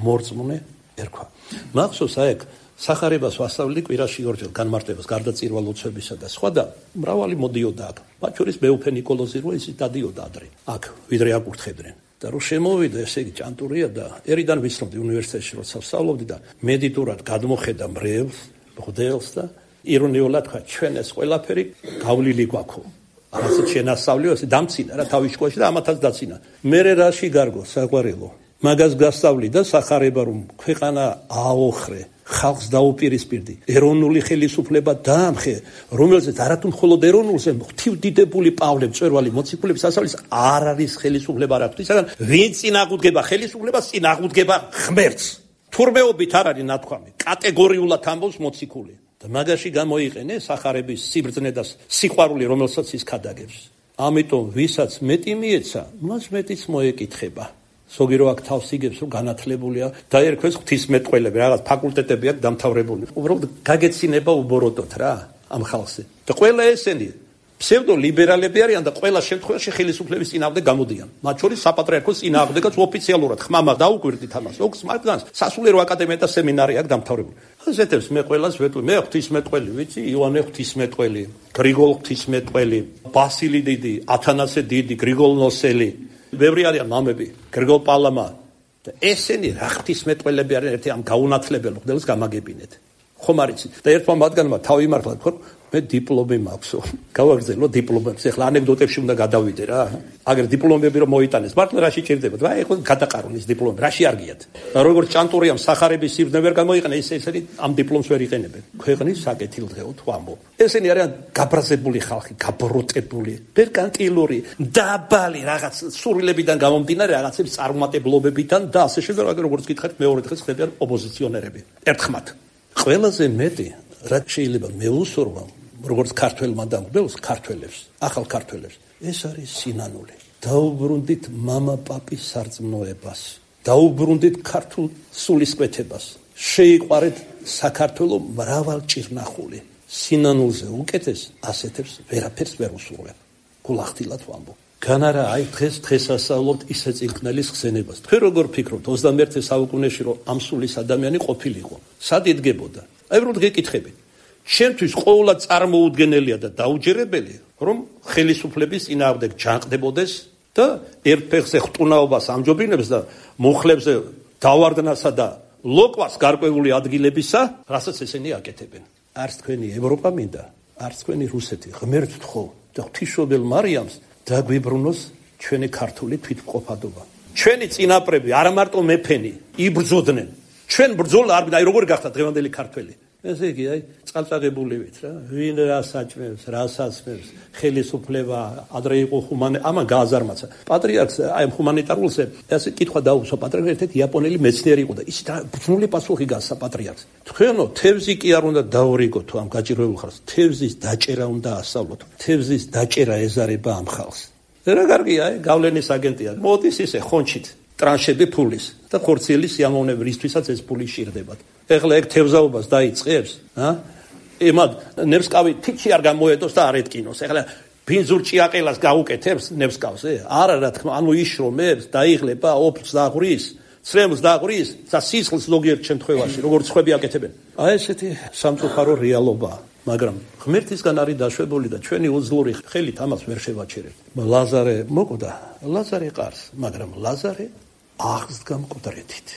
Speaker 1: მორწმუნე ერქვა. მახსოვს აიქ სახარებას ვასწავლი კვირაში ორჯერ განმარტებას, გარდაცირვა ლოცვებისა და სხვა და მრავალი მოდიოდა აქ. მათ შორის მეუფე ნიკოლოზი რო ისიც დადიოდა ადრე. აქ ვიდრე აკურთხებდნენ. და რო შემოვიდა ესე იგი ჭანტურია და ერიდან ვიცნობდი უნივერსიტეტში როცა ვსწავლობდი და მედიტურად გადმოხედა მრევლს, მღვდელს და ირონიულად თქვა, ჩვენ ეს ყველაფერი გავლილი გვაქვს. არასდროს შენასწავლიო, ესე დამცინა რა თავის შკოლაში და ამათაც დაცინა. მერე რაში გარგო საყვარელო. მაგას გასწავლი და სახარება რომ ქვეყანა აოხრე, ხალხს დაუპირისპირდი, ეროვნული ხელისუფლება დაამხე, რომელზეც არათუ მხოლოდ ეროვნულზე ღვთივდიდებული პავლე მწვერვალი მოციქულების სასწავლის არ არის ხელისუფლება რა ღვთისაგან, ვინ წინ აღუდგება ხელისუფლებას, წინ აღუდგება ღმერთს. თურმეობით არ არის ნათქვამი, კატეგორიულად ამბობს მოციქული. და მაგაში გამოიყენე სახარების სიბრძნე და სიყვარული, რომელსაც ის ქადაგებს. ამიტომ ვისაც მეტი მიეცა, მას მეტიც მოეკითხება. ზოგი რო აქ თავს იგებს, რომ განათლებულია, დაერქვეს ღვთისმეტყველები, რაღაც ფაკულტეტები აქვს დამთავრებული. უბრალოდ გაგეცინება უბოროტოთ რა ამ ხალხზე. და ყველა ესენი ფსევდოლიბერალები არიან და ყველა შემთხვევაში ხელისუფლების წინააღმდეგ გამოდიან. მათ შორის საპატრიარქოს წინააღმდეგაც ოფიციალურად ხმამა დაუკვირდით ამას. ოქს მაგდანს სასულიერო აკადემია და სემინარი აქვს დამთავრებული. ასეთებს მე ყველას ვეტყვი, მე ღვთისმეტყველი ვიცი, იოანე ღვთისმეტყველი, გრიგოლ ღვთისმეტყველი, ბასილი დიდი, ათანასე დიდი, გრიგოლ ნოსელი. ბევრი არიან მამები, გრიგოლ პალამა და ესენი რა ღვთისმეტყველები არიან, ერთი ამ გაუნათლებელ მღვდელს გამაგებინეთ. ხომ არ იცით? და ერთმა მათგანმა თავი იმართლა, ხო, მე დიპლომი მაქვსო. გავაგრძელო დიპლომებს. ეხლა ანეკდოტებში უნდა გადავიდე რა. აგერ დიპლომები რომ მოიტანეს, მართლა რაში ჭირდებოდა? აი, ეხლა გადაყარონ ეს დიპლომი, რაში არ გიათ? და როგორც ჭანტურიამ სახარების სიბნე ვერ გამოიყენა, ისინი ამ დიპლომს ვერ იყენებენ. ქვეყნის საკეთილდღეოდ ვამბობ. ესენი არიან გაბრაზებული ხალხი, გაბროტებული, მერკანტილური, დაბალი რაღაც სურვილებიდან გამომდინარე რაღაცების წარმატებლობებიდან და ასე შემდეგ, როგორც გითხარით, მეორე დღეს ხდებიან ოპოზიციონერები. ერთხმად. ყველაზე მეტი რაც შეიძლება მეუსურვო როგორც ქართველმა და მგლებს ქართველებს, ახალ ქართველებს, ეს არის სინანული. დაუბრუნდით მამა პაპის სარწმუნოებას, დაუბრუნდით ქართულ სულისკვეთებას, შეიყვარეთ საქართველო მრავალჭირნახული. სინანულზე უკეთეს ასეთებს ვერაფერს ვერ უსურვებ. გულახდილად ვამბობ. განარა აი დღესასწაულობთ ისე წილკნელის ხსენებას. თქვენ როგორ ფიქრობთ 21 საუკუნეში რომ ამ სულის ადამიანი ყოფილიყო? სად იდგებოდა? აი რომ გეკითხებით. ჩემთვის ყოველად წარმოუდგენელია და დაუჯერებელი, რომ ხელისუფლების წინააღმდეგ ჯანყდებოდეს და ერთ ფეხზე ხტუნაობას ამჯობინებს და მუხლებზე დავარდნასა და ლოკვას გარკვეული ადგილებისა, რასაც ესენი აკეთებენ. არც თქვენი ევროპა მინდა, არც თქვენი რუსეთი ღმერთთ თხოვ და ღვთისმშობელ მარიამს დაგვიბრუნოს ჩვენი ქართული თვითმყოფადობა. ჩვენი წინაპრები არ მარტო მეფენი იბრძოდნენ. ჩვენ ბრძოლა არ აი როგორ გახდა დღევანდელი ქართველი. ესე იგი, აი, წყალწაღებულივით რა, ვინ რას აჭმევს, რას აცმევს, ხელისუფლება, ადრე იყო ამან გააზარმაცა. პატრიარქს, აი, ჰუმანიტარულზე, ასე კითხვა დაუსვა პატრიარქს, ერთ-ერთი იაპონელი მეცნიერი იყო და ის ბრძნული პასუხი გასცა პატრიარქს. თქვენო, თევზი კი არ უნდა დაურიგოთ ამ გაჭირვებულ ხალხს, თევზის დაჭერა უნდა ასწავლოთ. თევზის დაჭერა ეზარება ამ ხალხს. რა კარგია, აი, გავლენის აგენტია. მოდის ისე ხონჩით ტრანშები ფულის და ხორციელი სიამოვნები, რისთვისაც ეს ფული შირდებათ. ეხლა ეგ თევზაობას დაიწყებს, ემად ნებსკავი თითში არ გამოედოს და არ ეთკინოს. ეხლა ბინძურ ჭიაყელას გაუკეთებს ნებსკავზე? არა რა თქმა, ანუ იშრომებს, დაიღლება, ოფს დაღვრის, ცრემლს დაღვრის და სისხლს ზოგიერთ შემთხვევაში, როგორც ხვები აკეთებენ. აი ესეთი სამწუხარო რეალობაა. მაგრამ ღმერთისგან არის დაშვებული და ჩვენი უძლური ხელით ამას ვერ შევაჩერებთ. ლაზარე მოკვდა, ლაზარე ყარს, მაგრამ ლაზარე აღსდგა მკვდრეთით.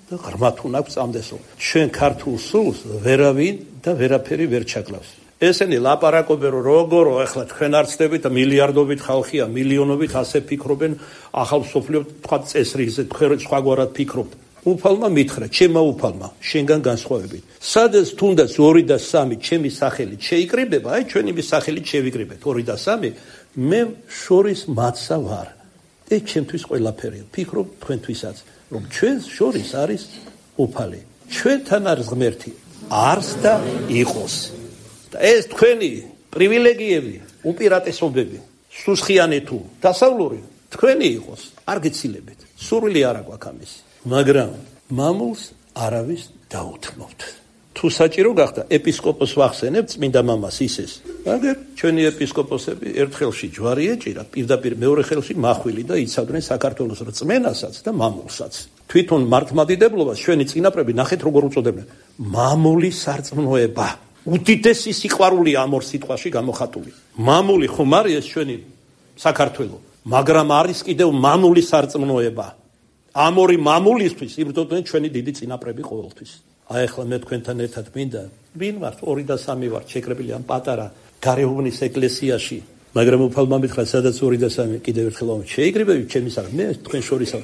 Speaker 1: და ღრმათ უნდა წამდესო. ჩვენ ქართულ სულს ვერავინ და ვერაფერი ვერ ჩაკლავს. ესენი ლაპარაკობენ რომ როგორ ახლა თქვენ არ ცდებით და მილიარდობით ხალხია, მილიონობით ასე ფიქრობენ, ახალ მსოფლიო თქვა წესრიგზე თქვენ სხვაგვარად ფიქრობთ. უფალმა მითხრა, ჩემმა უფალმა, შენგან განსხვავებით. სადაც თუნდაც 2 და 3 ჩემი სახელით შეიკრიბება, აი ჩვენი სახელით შევიკრიბეთ 2 და 3, მე შორის მაცა ვარ. ეს ჩემთვის ყველაფერია. ფიქრობ თქვენთვისაც, რომ ჩვენს შორის არის უფალი. ჩვენთან არის ღმერთი, არს და იყოს. და ეს თქვენი პრივილეგიები, უპირატესობები, სუსხიანი თუ დასავლური, თქვენი იყოს, არ გეცილებით. სურვილი არ აქვს ამისი. მაგრამ მამულს არავის დაუთმობთ. თუ საჭირო გახდა ეპისკოპოს ვახსენებთ წმინდა მამას ისეს. მაგრამ ჩვენი ეპისკოპოსები ერთ ხელში ჯვარი ეჭირა, პირდაპირ მეორე ხელში მახვილი და იცავდნენ საქართველოს რწმენასაც და მამულსაც. თვითონ მართლმადიდებლობას ჩვენი წინაპრები ნახეთ როგორ უწოდებდნენ. მამული სარწმუნოება. უდიდესი სიყვარულია ამ ორ სიტყვაში გამოხატული. მამული ხომ არის ჩვენი საქართველო, მაგრამ არის კიდევ მამული სარწმუნოება. ამ ორი მამულისთვის იბრძოდნენ ჩვენი დიდი წინაპრები ყოველთვის. აი ახლა მე თქვენთან ერთად მინდა, ვინ ვართ 2 და 3 ვართ შეკრებილი ამ პატარა გარეუბნის ეკლესიაში, მაგრამ უფალმა მითხრა სადაც 2 და 3 კიდევ ერთხელ შეიკრიბებით ჩემი სახით, მე თქვენ შორისა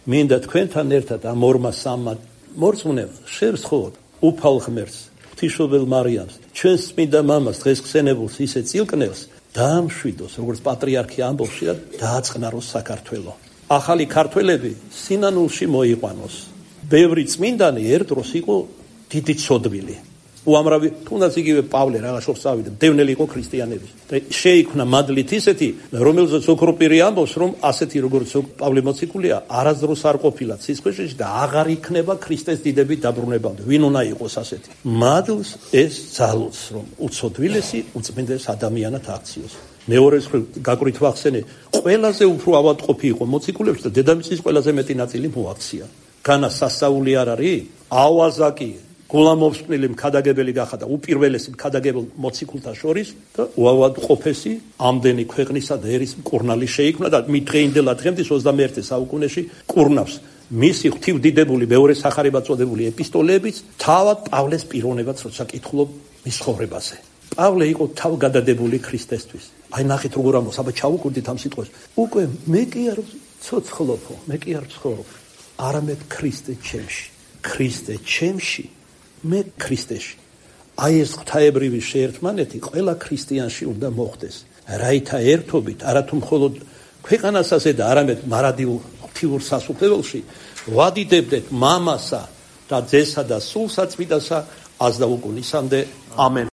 Speaker 1: მინდა თქვენთან ერთად ამ 2-3 მორწმუნეებს შევსხოვოთ უფალ ღმერთს, ღვთისმშობელ მარიამს, ჩვენს წმინდა მამას დღეს ხსენებულს ისე წილკნელს დაამშვიდოს, როგორც პატრიარქი ამბობს, და დააწყნაროს საქართველო. ახალი ქართველები სინანულში მოიყვანოს. ბევრი წმინდანი ერთ დროს იყო დიდი ცოდვილი. უამრავი, თუნდაც იგივე პავლე რაღაცას წავიდა, დევნელი იყო ქრისტიანების. და შეიქმნა მადლით ისეთი, რომელზეც ოქროპირი ამბობს, რომ ასეთი როგორც პავლე მოციქულია, არასდროს არ ყოფილა ცისქვეშეთში და აღარ იქნება ქრისტეს დიდებით დაბრუნებამდე. ვინ უნდა იყოს ასეთი? მადლს ეს ძალუց, რომ უცოდვილესი უწმინდეს ადამიანად აქციოს. მეორეს გაკვირით ვახსენე, ყველაზე უფრო ავადმყოფი იყო მოციქულებში და დედამიწის ყველაზე მეტი ნაწილი მოაქცია. განა სასწაული არ არის? ავაზაკი გულამოფსკვნილი მქადაგებელი გახადა უპირველესი მქადაგებელ მოციქულთა შორის და უავადმყოფესი ამდენი ქვეყნისა და ერის მკურნალი შეიქმნა და მიდღეინდელა დღემდე 21 საუკუნეში კურნავს მისი ღვთივდიდებული მეორე სახარებად წოდებული ეპისტოლეებიც თავად პავლეს პიროვნებაც როცა კითხულობ მის ცხოვრებაზე. პავლე იყო თავგადადებული ქრისტესთვის. აი ნახეთ როგორ ამბობს, აბა ჩავუკვირდით ამ სიტყვას. უკვე მე კი არ ცოცხლობო, მე კი არ ვცხოვრობ, არამედ ქრისტე ჩემში. ქრისტე ჩემში, მე ქრისტეში. აი ეს ღვთაებრივი შეერთმანეთი ყველა ქრისტიანში უნდა მოხდეს. რაითა ერთობით, არათუ მხოლოდ ქვეყანასაზე და არამედ მარადიულ ღვთიურ სასუფეველში ვადიდებდეთ მამასა და ძესა და სულ საწმინდასა, ას და უკუნისამდე. ამენ.